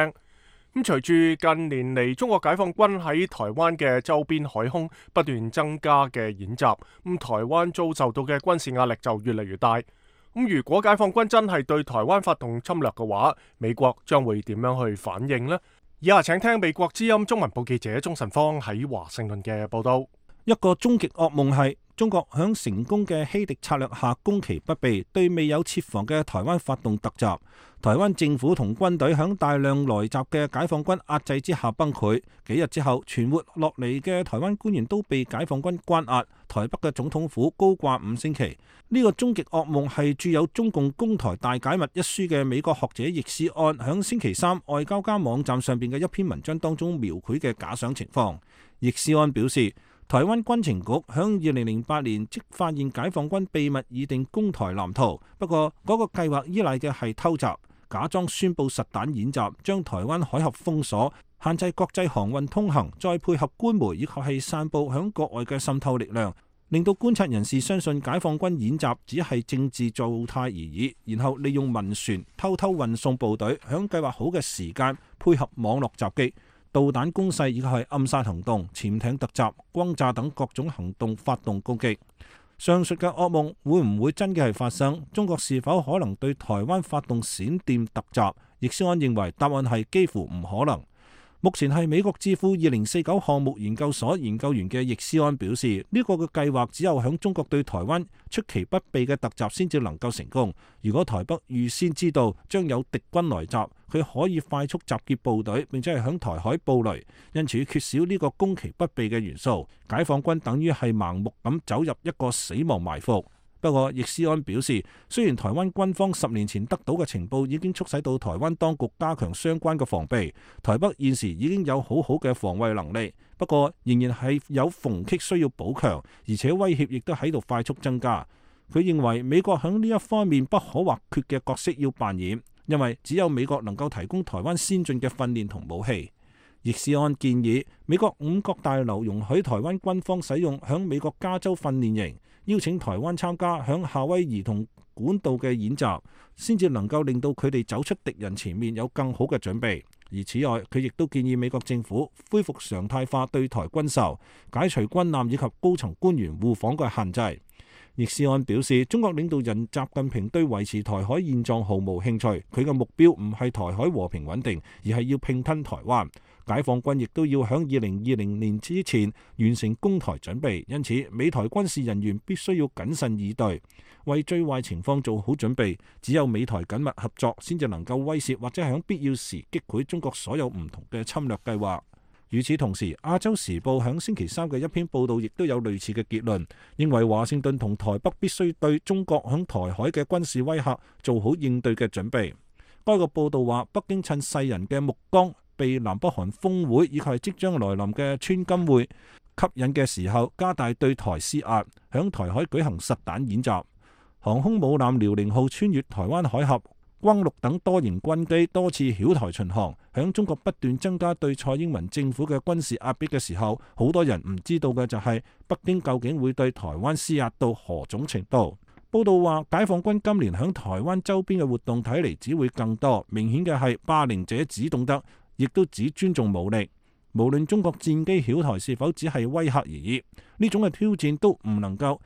咁隨住近年嚟中國解放軍喺台灣嘅周邊海空不斷增加嘅演習，咁台灣遭受到嘅軍事壓力就越嚟越大。咁如果解放軍真係對台灣發動侵略嘅話，美國將會點樣去反應呢？以下請聽美國之音中文部記者鍾晨芳喺華盛頓嘅報道。一個終極噩夢係中國響成功嘅欺敵策略下攻其不備，對未有設防嘅台灣發動突襲。台灣政府同軍隊響大量來襲嘅解放軍壓制之下崩潰。幾日之後，存活落嚟嘅台灣官員都被解放軍關押。台北嘅總統府高掛5星期。呢個終極噩夢係著有《中共攻台大解密》一書嘅美國學者易思安響星期3外交家網站上邊嘅一篇文章當中描繪嘅假想情況。易思安表示，台灣軍情局響2008年即發現解放軍秘密擬定攻台藍圖，不過嗰個計劃依賴嘅係偷襲，假裝宣佈實彈演習，將台灣海峽封鎖，限制國際航運通行，再配合官媒以及係散佈響國外嘅滲透力量，令到觀察人士相信解放軍演習只係政治造態而已，然後利用民船偷偷運送部隊，響計劃好嘅時間配合網絡襲擊、導彈攻勢以及係暗殺行動、潛艇突襲、轟炸等各種行動發動攻擊。上述嘅噩夢會唔會真嘅係發生？中國是否可能對台灣發動閃電突襲？易思安認為答案係幾乎唔可能。目前係美國智庫2049項目研究所研究員嘅易思安表示，呢個嘅計劃只有響中國對台灣出其不備嘅突襲先至能夠成功。如果台北預先知道將有敵軍來襲，佢可以快速集結部隊，並且係響台海布雷，因此缺少呢個攻其不備嘅元素，解放軍等於係盲目咁走入一個死亡埋伏。不過，易思安表示，雖然台灣軍方10年前得到嘅情報已經促使到台灣當局加強相關嘅防備，台北現時已經有好好嘅防衛能力，不過仍然係有縫隙需要補強，而且威脅亦都喺度快速增加。佢認為美國喺呢一方面不可或缺嘅角色要扮演，因為只有美國能夠提供台灣先進嘅訓練同武器。易思安建議美國五角大樓容許台灣軍方使用響美國加州訓練營，邀請台灣參加響夏威夷同管道嘅演習，先至能夠令到佢哋走出敵人前面有更好嘅準備。而此外，佢亦都建議美國政府恢復常態化對台軍售，解除軍艦以及高層官員互訪嘅限制。易思安表示，中國領導人習近平對維持台海現狀毫無興趣，佢嘅目標唔係台海和平穩定，而係要併吞台灣。解放軍亦都要喺2020年之前完成攻台準備，因此美台軍事人員必須要謹慎以對，為最壞情況做好準備。只有美台緊密合作，先至能夠威懾或者喺必要時擊潰中國所有唔同嘅侵略計劃。與此同時，亞洲時報喺星期三嘅一篇報道亦都有類似嘅結論，認為華盛頓同台北必須對中國響台海嘅軍事威嚇做好應對嘅準備。該個報道話，北京趁世人嘅目光被南北韓峰會以及係即將來臨嘅川金會吸引嘅時候，加大對台施壓，響台海舉行實彈演習。航空母艦遼寧號穿越台灣海峽，轟六等多型軍機多次繞台巡航，響中國不斷增加對蔡英文政府嘅軍事壓迫嘅時候，好多人唔知道嘅就係北京究竟會對台灣施壓到何種程度。報道話，解放軍今年響台灣周邊嘅活動睇嚟只會更多，明顯嘅係霸凌者只懂得，亦都只尊重武力。無論中國戰機繞台是否只係威嚇而已，呢種嘅挑戰都唔能夠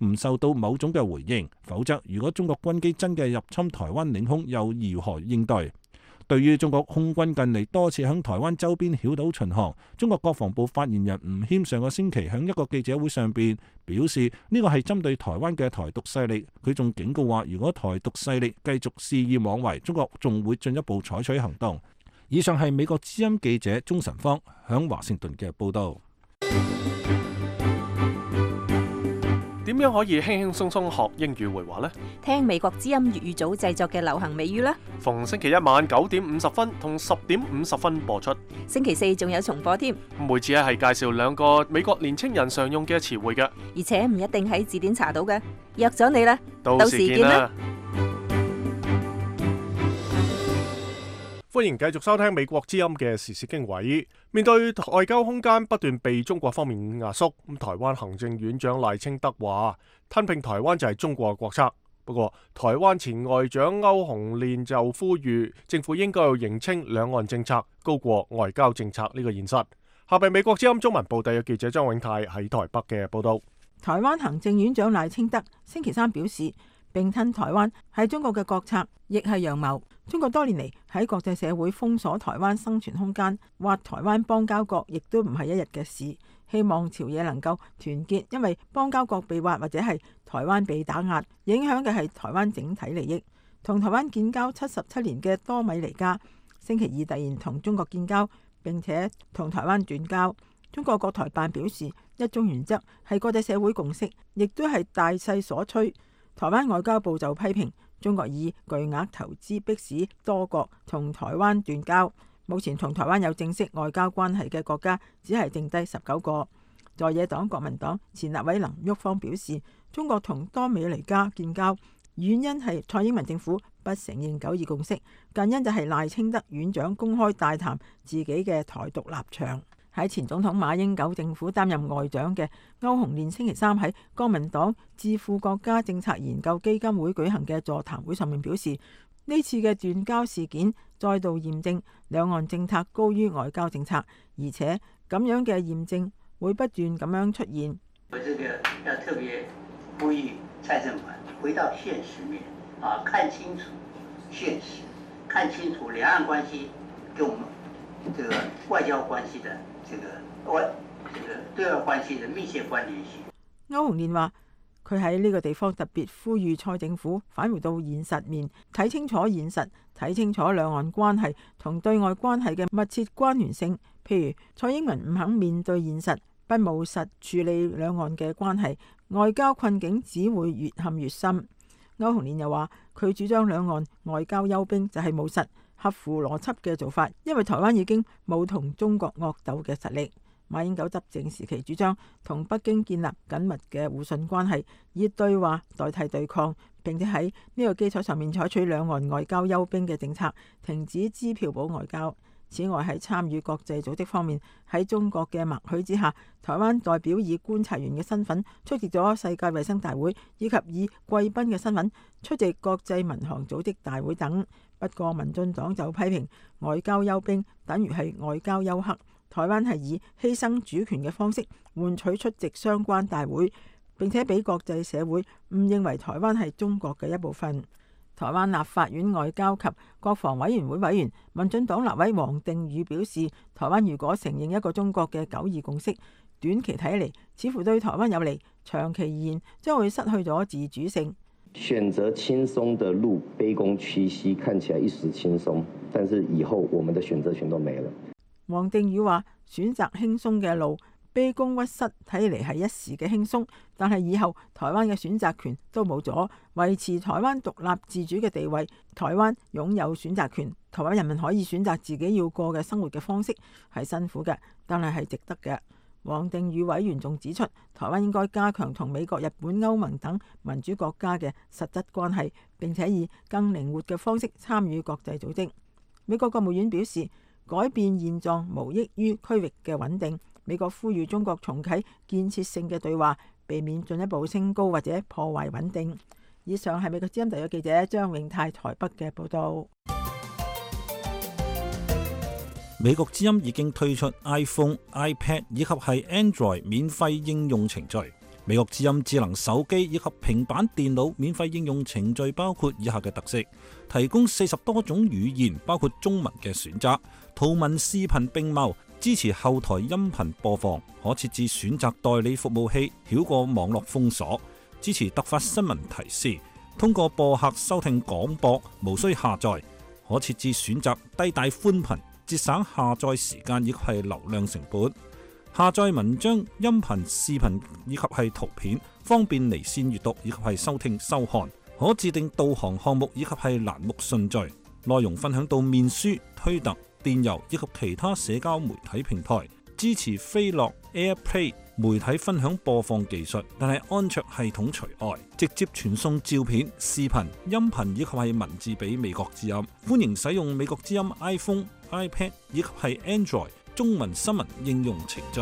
唔受到某種嘅回應，否則如果中國軍機真嘅入侵台灣領空，又如何應對？對於中國空軍近嚟多次響台灣周邊繞島巡航，中國國防部發言人吳謙上個星期響一個記者會上邊表示，呢個係針對台灣嘅台獨勢力。佢仲警告話，如果台獨勢力繼續肆意妄為，中國仲會進一步採取行動。以上係美國之音記者鍾晨芳響華盛頓嘅報道。點樣可以輕輕鬆鬆學英語會話呢？聽美國之音粵語組製作嘅流行美語啦。逢星期一晚9:50同10:50播出。星期四仲有重播添。每次係介紹2個美國年青人常用嘅詞彙嘅，而且唔一定喺字典查到嘅。約咗你啦，到時見啦。歡迎繼續收聽美國之音嘅時事經緯。面對外交空間不斷被中國方面壓縮，台灣行政院長賴清德話吞併台灣就係中國嘅國策。不過台灣前外長歐鴻練就呼籲政府應該要認清兩岸政策高過外交政策呢個現實。下邊美國之音中文部第嘅記者張永泰喺台北嘅報道。台灣行政院長賴清德星期三表示，併吞台灣係中國嘅國策，亦係陽謀。中國多年嚟喺國際社會封鎖台灣生存空間，挖台灣邦交國亦都唔係一日嘅事。希望朝野能夠團結，因為邦交國被挖或者係台灣被打壓，影響嘅係台灣整體利益。同台灣建交77年嘅多米尼加星期二突然同中國建交，並且同台灣斷交。中國國台辦表示，一中原則係國際社會共識，亦都係大勢所趨。台灣外交部就批評中國以巨額投資迫使多國同台灣斷交。目前同台灣有正式外交關係嘅國家只係剩低19個。在野黨國民黨前立委林旭芳表示，中國同多米尼加建交原因係蔡英文政府不承認9·2共識，近因就係賴清德院長公開大談自己嘅台獨立場。喺前總統馬英九政府擔任外長嘅歐鴻練星期三喺國民黨智庫國家政策研究基金會舉行嘅座談會上面表示，呢次嘅斷交事件再度驗證兩岸政策高於外交政策，而且咁樣嘅驗證會不斷咁樣出現。我這個要特別呼籲蔡政府回到現實面看清楚現實，看清楚兩岸關係跟我們這個外交關係的這個對外關係的密切關聯性。歐鴻練話，佢喺呢個地方特別呼籲蔡政府返回到現實面，睇清楚現實，睇清楚兩岸關係同對外關係嘅密切關聯性。譬如蔡英文唔肯面對現實，不務實處理兩岸嘅關係，外交困境只會越陷越深。歐鴻練又話，佢主張兩岸外交休兵就係務實、合乎邏輯嘅做法，因為台灣已經冇同中國惡鬥嘅實力。馬英九執政時期主張同北京建立緊密嘅互信關係，以對話代替對抗，並且喺呢個基礎上面採取兩岸外交休兵嘅政策，停止支票保外交。此外，喺參與國際組織方面，喺中國嘅默許之下，台灣代表以觀察員嘅身份出席咗世界衛生大會，以及以貴賓嘅身份出席國際民航組織大會等。不過民進黨就批評外交休兵等於係外交休克，台灣係以犧牲主權嘅方式換取出席相關大會，並且俾國際社會誤認為台灣係中國嘅一部分。台灣立法院外交及國防委員會委員、民進黨立委王定宇表示，台灣如果承認一個中國嘅九二共識，短期睇嚟似乎對台灣有利，長期而言將會失去咗自主性。選擇輕鬆的路，卑躬屈膝，看起來一時輕鬆，但是以後我們的選擇權都沒了。王定宇話：選擇輕鬆嘅路，卑躬屈膝睇嚟係一時嘅輕鬆，但係以後台灣嘅選擇權都冇咗，維持台灣獨立自主嘅地位。台灣擁有選擇權，台灣人民可以選擇自己要過嘅生活嘅方式，係辛苦嘅，但係值得嘅。王定宇委員仲指出，台灣應該加強同美國、日本、歐盟等民主國家嘅實質關係，並且以更靈活嘅方式參與國際組織。美國國務院表示，改變現狀無益於區域嘅穩定。美國呼籲中國重啟建設性嘅對話，避免進一步升高或者破壞穩定。以上係美國之音特約記者張永泰台北嘅報道。美國之音已經推出 iPhone、iPad 以及係 Android 免費應用程序。美國之音智能手機以及平板電腦免費應用程序包括以下嘅特色：提供40多種語言，包括中文嘅選擇，圖文視頻並茂，支持後台音頻播放，可設置選擇代理服務器，繞過網絡封鎖，支持突發新聞提示，通過播客收聽廣播，無需下載，可設置選擇低帶寬頻，節省下載時間以及係流量成本。下載文章、音頻、視頻以及係圖片，方便離線閱讀以及係收聽收看。可自定導航項目以及係欄目順序，內容分享到面書、推特、電郵以及其他社交媒體平台。支持飛樂 AirPlay 媒體分享播放技術，但係安卓系統除外。直接傳送照片、視頻、音頻以及係文字俾美國之音。歡迎使用美國之音 iPhone、iPad 以及係 Android中文新聞應用程序。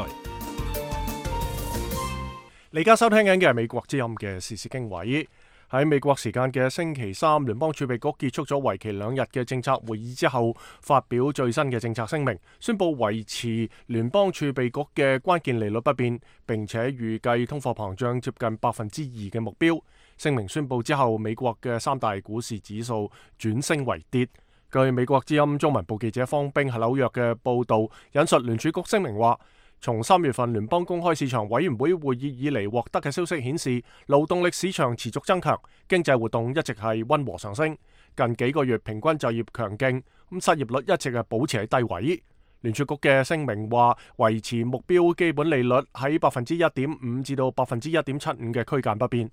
你而家收聽緊嘅係美國之音嘅時事經緯。喺美國時間嘅星期三，聯邦儲備局結束咗為期2日嘅政策會議之後，發表最新嘅政策聲明，宣布維持聯邦儲備局嘅關鍵利率不變，並且預計通貨膨脹接近2%嘅目標。聲明宣布之後，美國嘅3大股市指數轉升為跌。據美國之音中文部記者方冰喺紐約嘅報導，引述聯儲局聲明話，從3月份聯邦公開市場委員會會議以嚟獲得嘅消息顯示，勞動力市場持續增強，經濟活動一直係溫和上升。近幾個月平均就業強勁，失業率一直係保持喺低位。聯儲局嘅聲明話，維持目標基本利率喺1.5%至到1.75%嘅區間不變。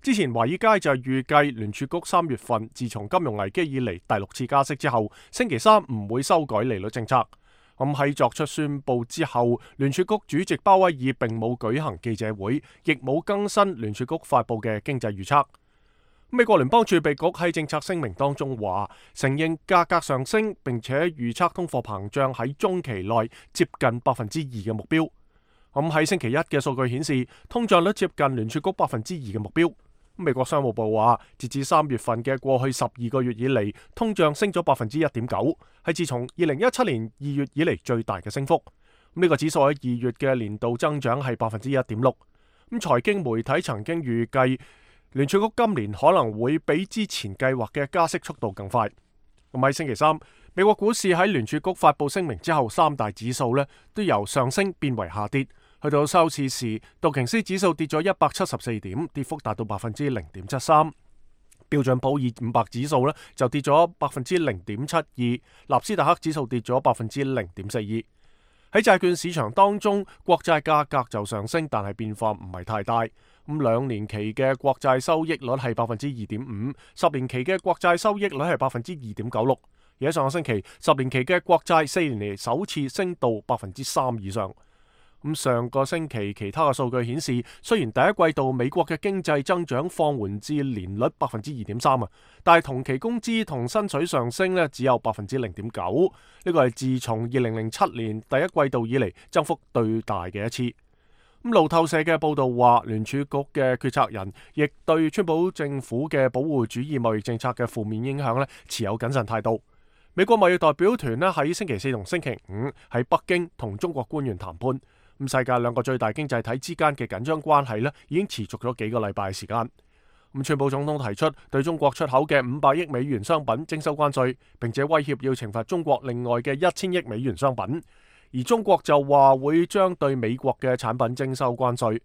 之前華爾街就預計聯儲局3月份自從金融危機以嚟第6次加息之後，星期三唔會修改利率政策。咁喺作出宣布之後，聯儲局主席鮑威爾並冇舉行記者會，亦冇更新聯儲局發布嘅經濟預測。美國聯邦儲備局喺政策聲明當中話，承認價格上升，並且預測通貨膨脹喺中期內接近2%嘅目標。咁喺星期一嘅數據顯示，通脹率接近聯儲局2%嘅目標。美國商務部話，截至3月份嘅過去12個月以嚟，通脹升咗1.9%，係自從2017年2月以嚟最大嘅升幅。呢個指數喺2月嘅年度增長係1.6%。財經媒體曾經預計聯儲局今年可能會比之前計劃嘅加息速度更快。喺星期三，美國股市喺聯儲局發布聲明之後，3大指數都由上升變為下跌。去到收市時，道瓊斯指數跌咗174點，跌幅達到0.73%。標準普爾500指數就跌咗0.72%，納斯達克指數跌咗0.42%。喺債券市場當中，國債價格就上升，但係變化唔係太大。2年期嘅國債收益率係2.5%，10年期嘅國債收益率係2.96%。而喺上個星期，10年期嘅國債4年嚟首次升到3%以上。上個星期其他嘅數據顯示，雖然第一季度美國嘅經濟增長放緩至年率2.3%，但係同期工資同薪水上升只有0.9%，呢個係自從2007年第一季度以嚟增幅最大嘅一次。路透社嘅報道話，聯儲局嘅決策人亦對川普政府嘅保護主義貿易政策嘅負面影響持有謹慎態度。美國貿易代表團喺星期四同星期五喺北京同中國官員談判。咁世界兩個最大經濟體之間嘅緊張關係咧，已經持續咗幾個禮拜時間。咁川普總統提出對中國出口嘅500億美元商品徵收關稅，並且威脅要懲罰中國另外嘅1000億美元商品。而中國就話會將對美國嘅產品徵收關稅。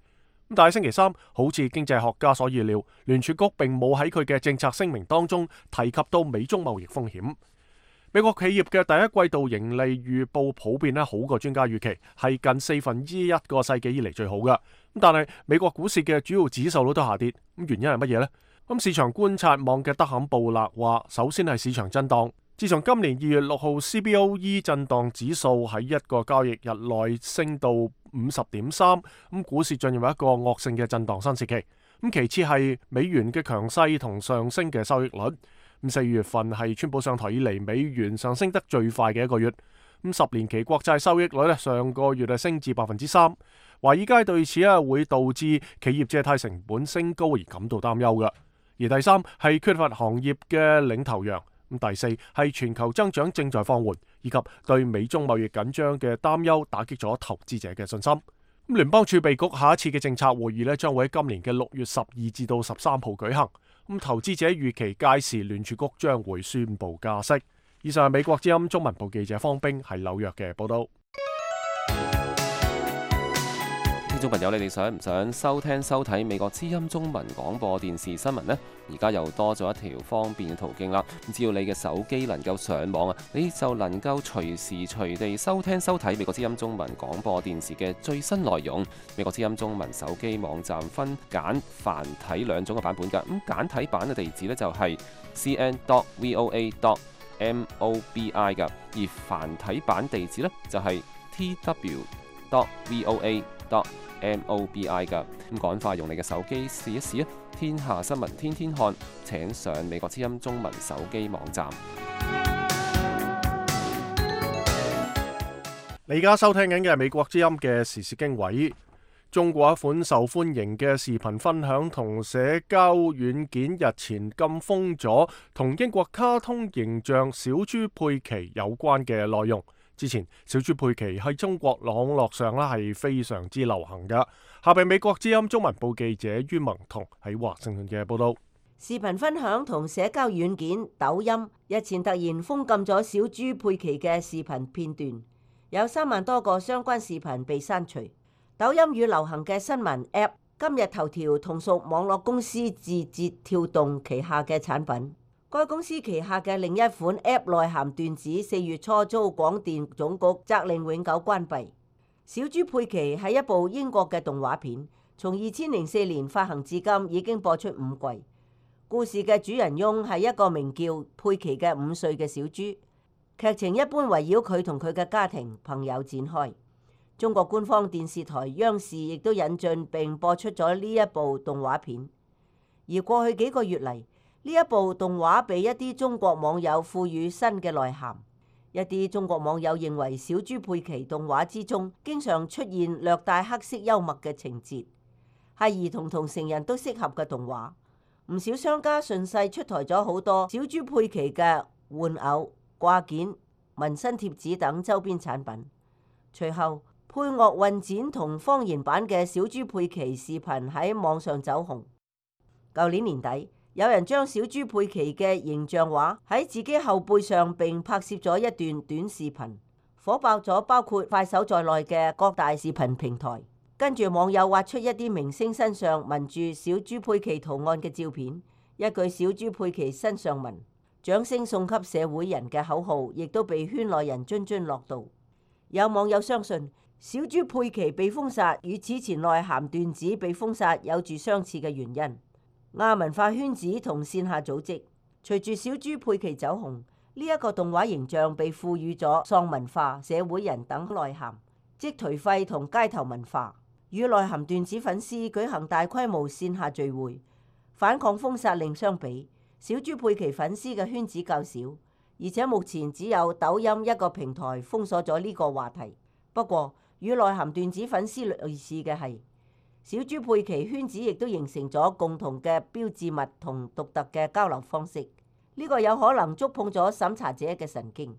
但係星期三，好似經濟學家所預料，聯儲局並冇喺佢嘅政策聲明當中提及到美中貿易風險。美國企業嘅第一季度盈利預報普遍好過專家預期，係近1/4個世紀以嚟最好嘅。但係美國股市嘅主要指數都下跌，原因係乜嘢呢？市場觀察網嘅德坎布勒話，首先係市場震盪。自從今年2月6號 CBOE 震盪指數喺一個交易日內升到50.3，股市進入一個惡性嘅震盪新時期。其次係美元嘅強勢同上升嘅收益率。4月份係川普上台以嚟美元上升得最快嘅一個月。10年期國債收益率上個月升至3%。華爾街對此會導致企業借貸成本升高而感到擔憂嘅。而第三係缺乏行業嘅領頭羊。第四係全球增長正在放緩，以及對美中貿易緊張嘅擔憂打擊咗投資者嘅信心。聯邦儲備局下一次嘅政策會議將會喺今年嘅6月12至到13號舉行。投資者預期屆時聯儲局將會宣布加息。以上係美國之音中文部記者方冰喺紐約嘅報道。聽眾朋友，你哋想唔想收聽收睇美國之音中文廣播電視新聞呢？而家又多咗一條方便嘅途徑啦。只要你嘅手機能夠上網你就能夠隨時隨地收聽收睇美國之音中文廣播電視嘅最新內容。美國之音中文手機網站分簡繁體兩種嘅版本㗎。簡體版嘅地址呢就係 cn.voa.mobi 㗎，而繁體版地址呢就係 tw.voa.mobi 噶。趕快用你嘅手機試一試啊！天下新聞天天看，請上美國之音中文手機網站。你而家收聽緊嘅係美國之音嘅時事經緯。中國一款受歡迎嘅視頻分享同社交軟件日前禁封咗同英國卡通形象小豬佩奇有關嘅內容。之前小豬佩奇喺中國網絡上係非常之流行㗎。下邊美國之音中文部記者于萌彤喺華盛頓嘅報道。視頻分享同社交軟件抖音日前突然封禁咗小豬佩奇嘅視頻片段，有3萬多個相關視頻被刪除。抖音與流行嘅新聞 App 今日頭條同屬網絡公司字節跳動旗下嘅產品。該公司旗下嘅另一款 App 內涵段子4月初遭廣電總局責令永久關閉。小豬佩奇係一部英國嘅動畫片，從2004年發行至今已經播出5季。故事嘅主人翁係一個名叫佩奇嘅5歲嘅小豬，劇情一般圍繞佢同佢嘅家庭朋友展開。中國官方電視台央視亦都引進並播出咗呢一部動畫片。而過去幾個月嚟，呢一部動畫被一啲中國網友賦予新嘅內涵。一啲中國網友認為小豬佩奇動畫之中經常出現略帶黑色幽默嘅情節，係兒童同成人都適合嘅動畫。唔少商家順勢出台咗好多小豬佩奇嘅玩偶、掛件、紋身貼紙等周邊產品。隨後配樂混剪同方言版嘅小豬佩奇視頻喺網上走紅。舊年年底，有人將小豬佩奇嘅形象畫喺自己後背上並拍攝咗一段短視頻，火爆咗包括快手在內嘅各大視頻平台。跟住網友挖出一啲明星身上紋住小豬佩奇圖案嘅照片，一句小豬佩奇身上紋掌聲送給社會人嘅口號亦都被圈內人津津樂道。有網友相信小豬佩奇被封殺與此前內涵段子被封殺有住相似嘅原因。亞文化圈子同線下組織隨住小豬佩奇走紅，呢一個動畫形象被賦予咗喪文化、社會人等內涵，即頹廢同街頭文化。與內涵段子粉絲舉行大規模線下聚會反抗封殺令相比，小豬佩奇粉絲嘅圈子較少，而且目前只有抖音一個平台封鎖咗呢個話題。不過與內涵段子粉絲類似嘅係，小豬佩奇圈子亦都形成咗共同嘅標誌物同獨特嘅交流方式，呢個有可能觸碰咗審查者嘅神經。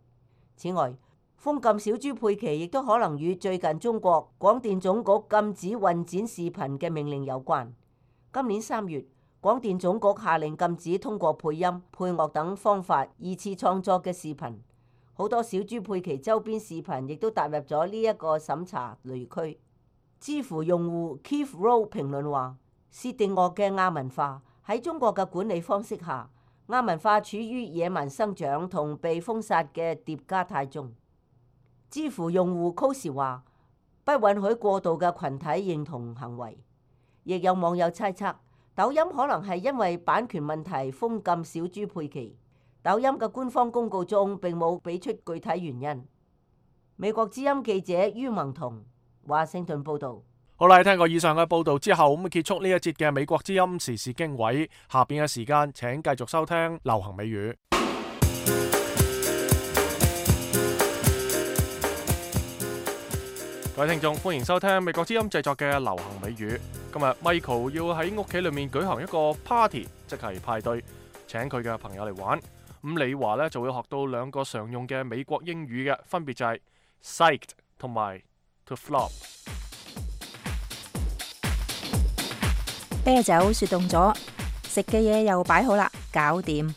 此外，封禁小豬佩奇亦都可能與最近中國廣電總局禁止混剪視頻嘅命令有關。今年3月，廣電總局下令禁止通過配音、配樂等方法二次創作嘅視頻。好多小豬佩奇周邊視頻亦都踏入咗呢一個審查雷區。知乎用戶 Keith Rowe 評論話：薛定諤嘅亞文化喺中國嘅管理方式下，亞文化處於野蠻生長同被封殺嘅疊加態中。知乎用戶 Cosi 話：不允許過度嘅群體認同行為。亦有網友猜測，抖音可能係因為版權問題封禁小豬佩奇。抖音嘅官方公告中並冇俾出具體原因。美國之音記者于文彤，華盛頓報導。好啦，聽過以上嘅報導之後，咁結束呢一節嘅美國之音時事經緯。下邊嘅時間請繼續收聽流行美語。各位聽眾，歡迎收聽美國之音製作嘅流行美語。今日 Michael 要喺屋企裏面舉行一個 party， 即係派對，請佢嘅朋友嚟玩。咁李華呢就會學到2個常用嘅美國英語嘅，分別就係 psyched 同埋 to flop。啤酒雪凍咗，食嘅嘢又擺好啦，搞掂。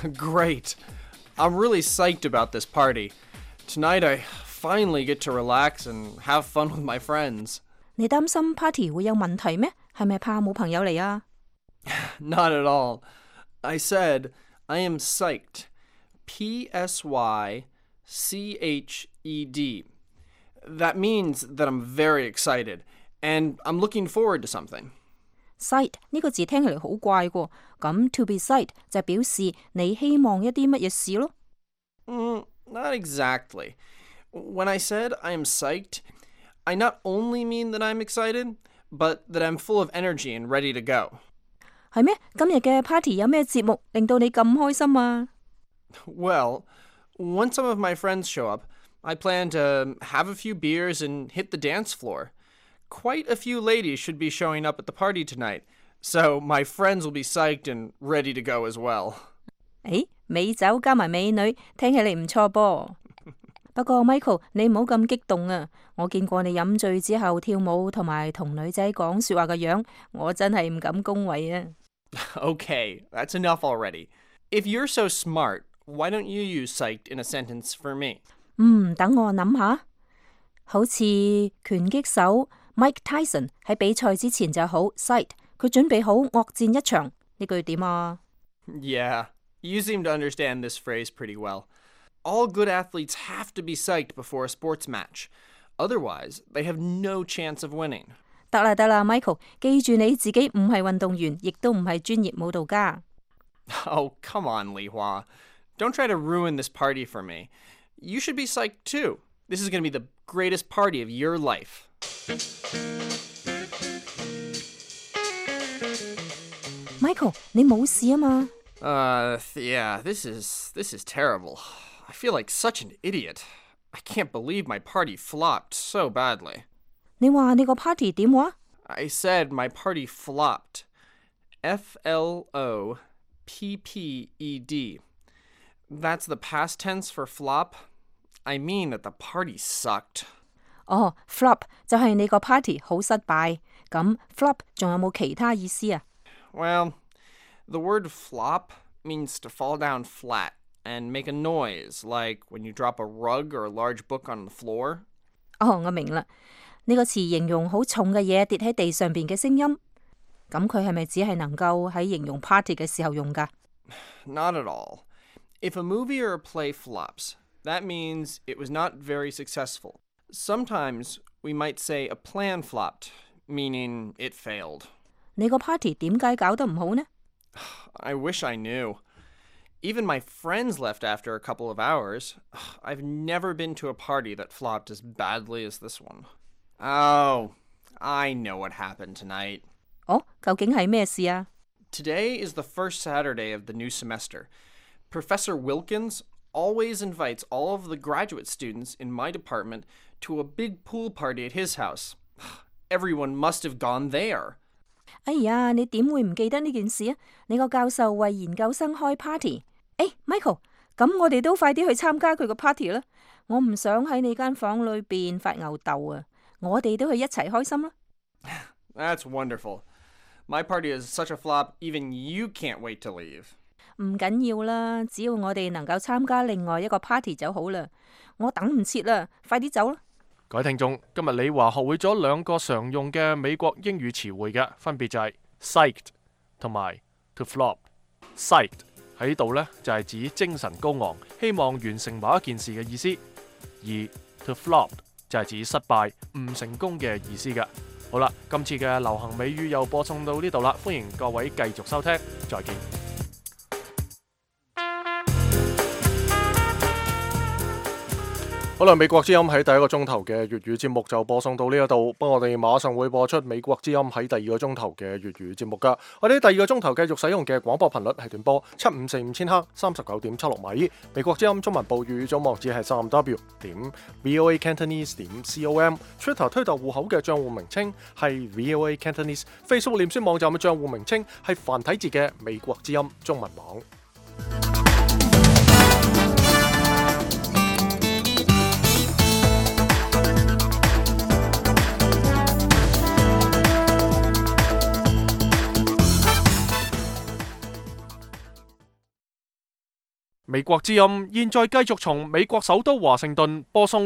Great! I'm really psyched about this party. Tonight I finally get to relax and have fun with my friends. 你擔心 party 會有問題咩？係咪怕冇朋友嚟啊？ Not at all. I said I am psyched. P-S-Y-C-H-E-D. That means that I'm very excited, and I'm looking forward to something. Psyched 呢個字聽起嚟好怪喎，咁 to be psyched 就表示你希望一啲乜嘢事咯。Not exactly. When I said I am psyched, I not only mean that I'm excited, but that I'm full of energy and ready to go. 係咩？今日嘅 party 有咩節目令到你咁開心啊？ Well, once some of my friends show up, I plan to have a few beers and hit the dance floor. Quite a few ladies should be showing up at the party tonight, so my friends will be psyched and ready to go as well. 誒，美酒加埋美女，聽起嚟唔錯噃。不過 Michael， 你唔好咁激動啊！我見過你飲醉之後跳舞同埋同女仔講說話嘅樣，我真係唔敢恭維啊。Okay, that's enough already. If you're so smart, why don't you use psyched in a sentence for me? 等我諗下。好似拳擊手 Mike Tyson 喺比賽之前就好 psyched， 佢準備好惡戰一場。呢句點啊？ Yeah, you seem to understand this phrase pretty well. All good athletes have to be psyched before a sports match. Otherwise, they have no chance of winning. 得啦 Michael， 記住你自己唔係運動員，亦都唔係專業舞蹈家。Oh, come on, Li Hua. Don't try to ruin this party for me. You should be psyched too. This is going to be the greatest party of your life. Michael， 你冇事啊嘛？ Yeah, this is terrible. I feel like such an idiot. I can't believe my party flopped so badly. 你話你個 party 點話？ I said my party flopped. F-L-O-P-P-E-D. That's the past tense for flop. I mean that the party sucked. Flop 就係你個 party 好失敗。咁 flop 仲有冇其他意思啊？ Well, the word flop means to fall down flat and make a noise, like when you drop a rug or a large book on the floor. 我明啦。呢個詞形容好重嘅嘢跌喺地上邊嘅聲音。咁佢係咪只係能夠喺形容 party 嘅時候用㗎？ Not at all. If a movie or a play flops, that means it was not very successful. Sometimes we might say a plan flopped, meaning it failed. 你個 party 點解搞得唔好呢？ I wish I knew. Even my friends left after a couple of hours. I've never been to a party that flopped as badly as this one. Oh, I know what happened tonight. 究竟係咩事啊？ Today is the first Saturday of the new semester. Professor Wilkins always invites all of the graduate students in my department to a big pool party at his house. Everyone must have gone there. 哎呀，你點會唔記得呢件事啊？你個教授為研究生開 party。Michael，咁我哋都快啲去參加佢個 party 啦！我唔想喺你間房裏邊發吽哣啊！我哋都去一齊開心啦。That's wonderful. My party is such a flop, even you can't wait to leave. 唔緊要啦，只要我哋能夠參加另外一個 party 就好啦。我等唔切啦，快啲走啦！各位聽眾，今日李華學會咗兩個常用嘅美國英語詞彙嘅，分別就係 psyched 同埋 to flop。psyched 喺度呢，就係指精神高昂，希望完成某一件事嘅意思，而 to flop 就係指失敗、唔成功嘅意思嘅。好啦，今次嘅流行美語又播送到呢度啦，歡迎各位繼續收聽，再見。好啦，美國之音喺第一個鐘頭嘅粵語節目就播送到呢一度，不過我哋馬上會播出美國之音喺第二個鐘頭嘅粵語節目噶。我哋第二個鐘頭繼續使用嘅廣播頻率係短波7545千赫39.76米。美國之音中文部粵語總網址係3w.voacantonese.com。Twitter 推特戶口嘅賬戶名稱係 VOA Cantonese。Facebook 臉書網站嘅賬戶名稱係繁體字嘅美國之音中文網。美國之音現在繼續從美國首都華盛頓播送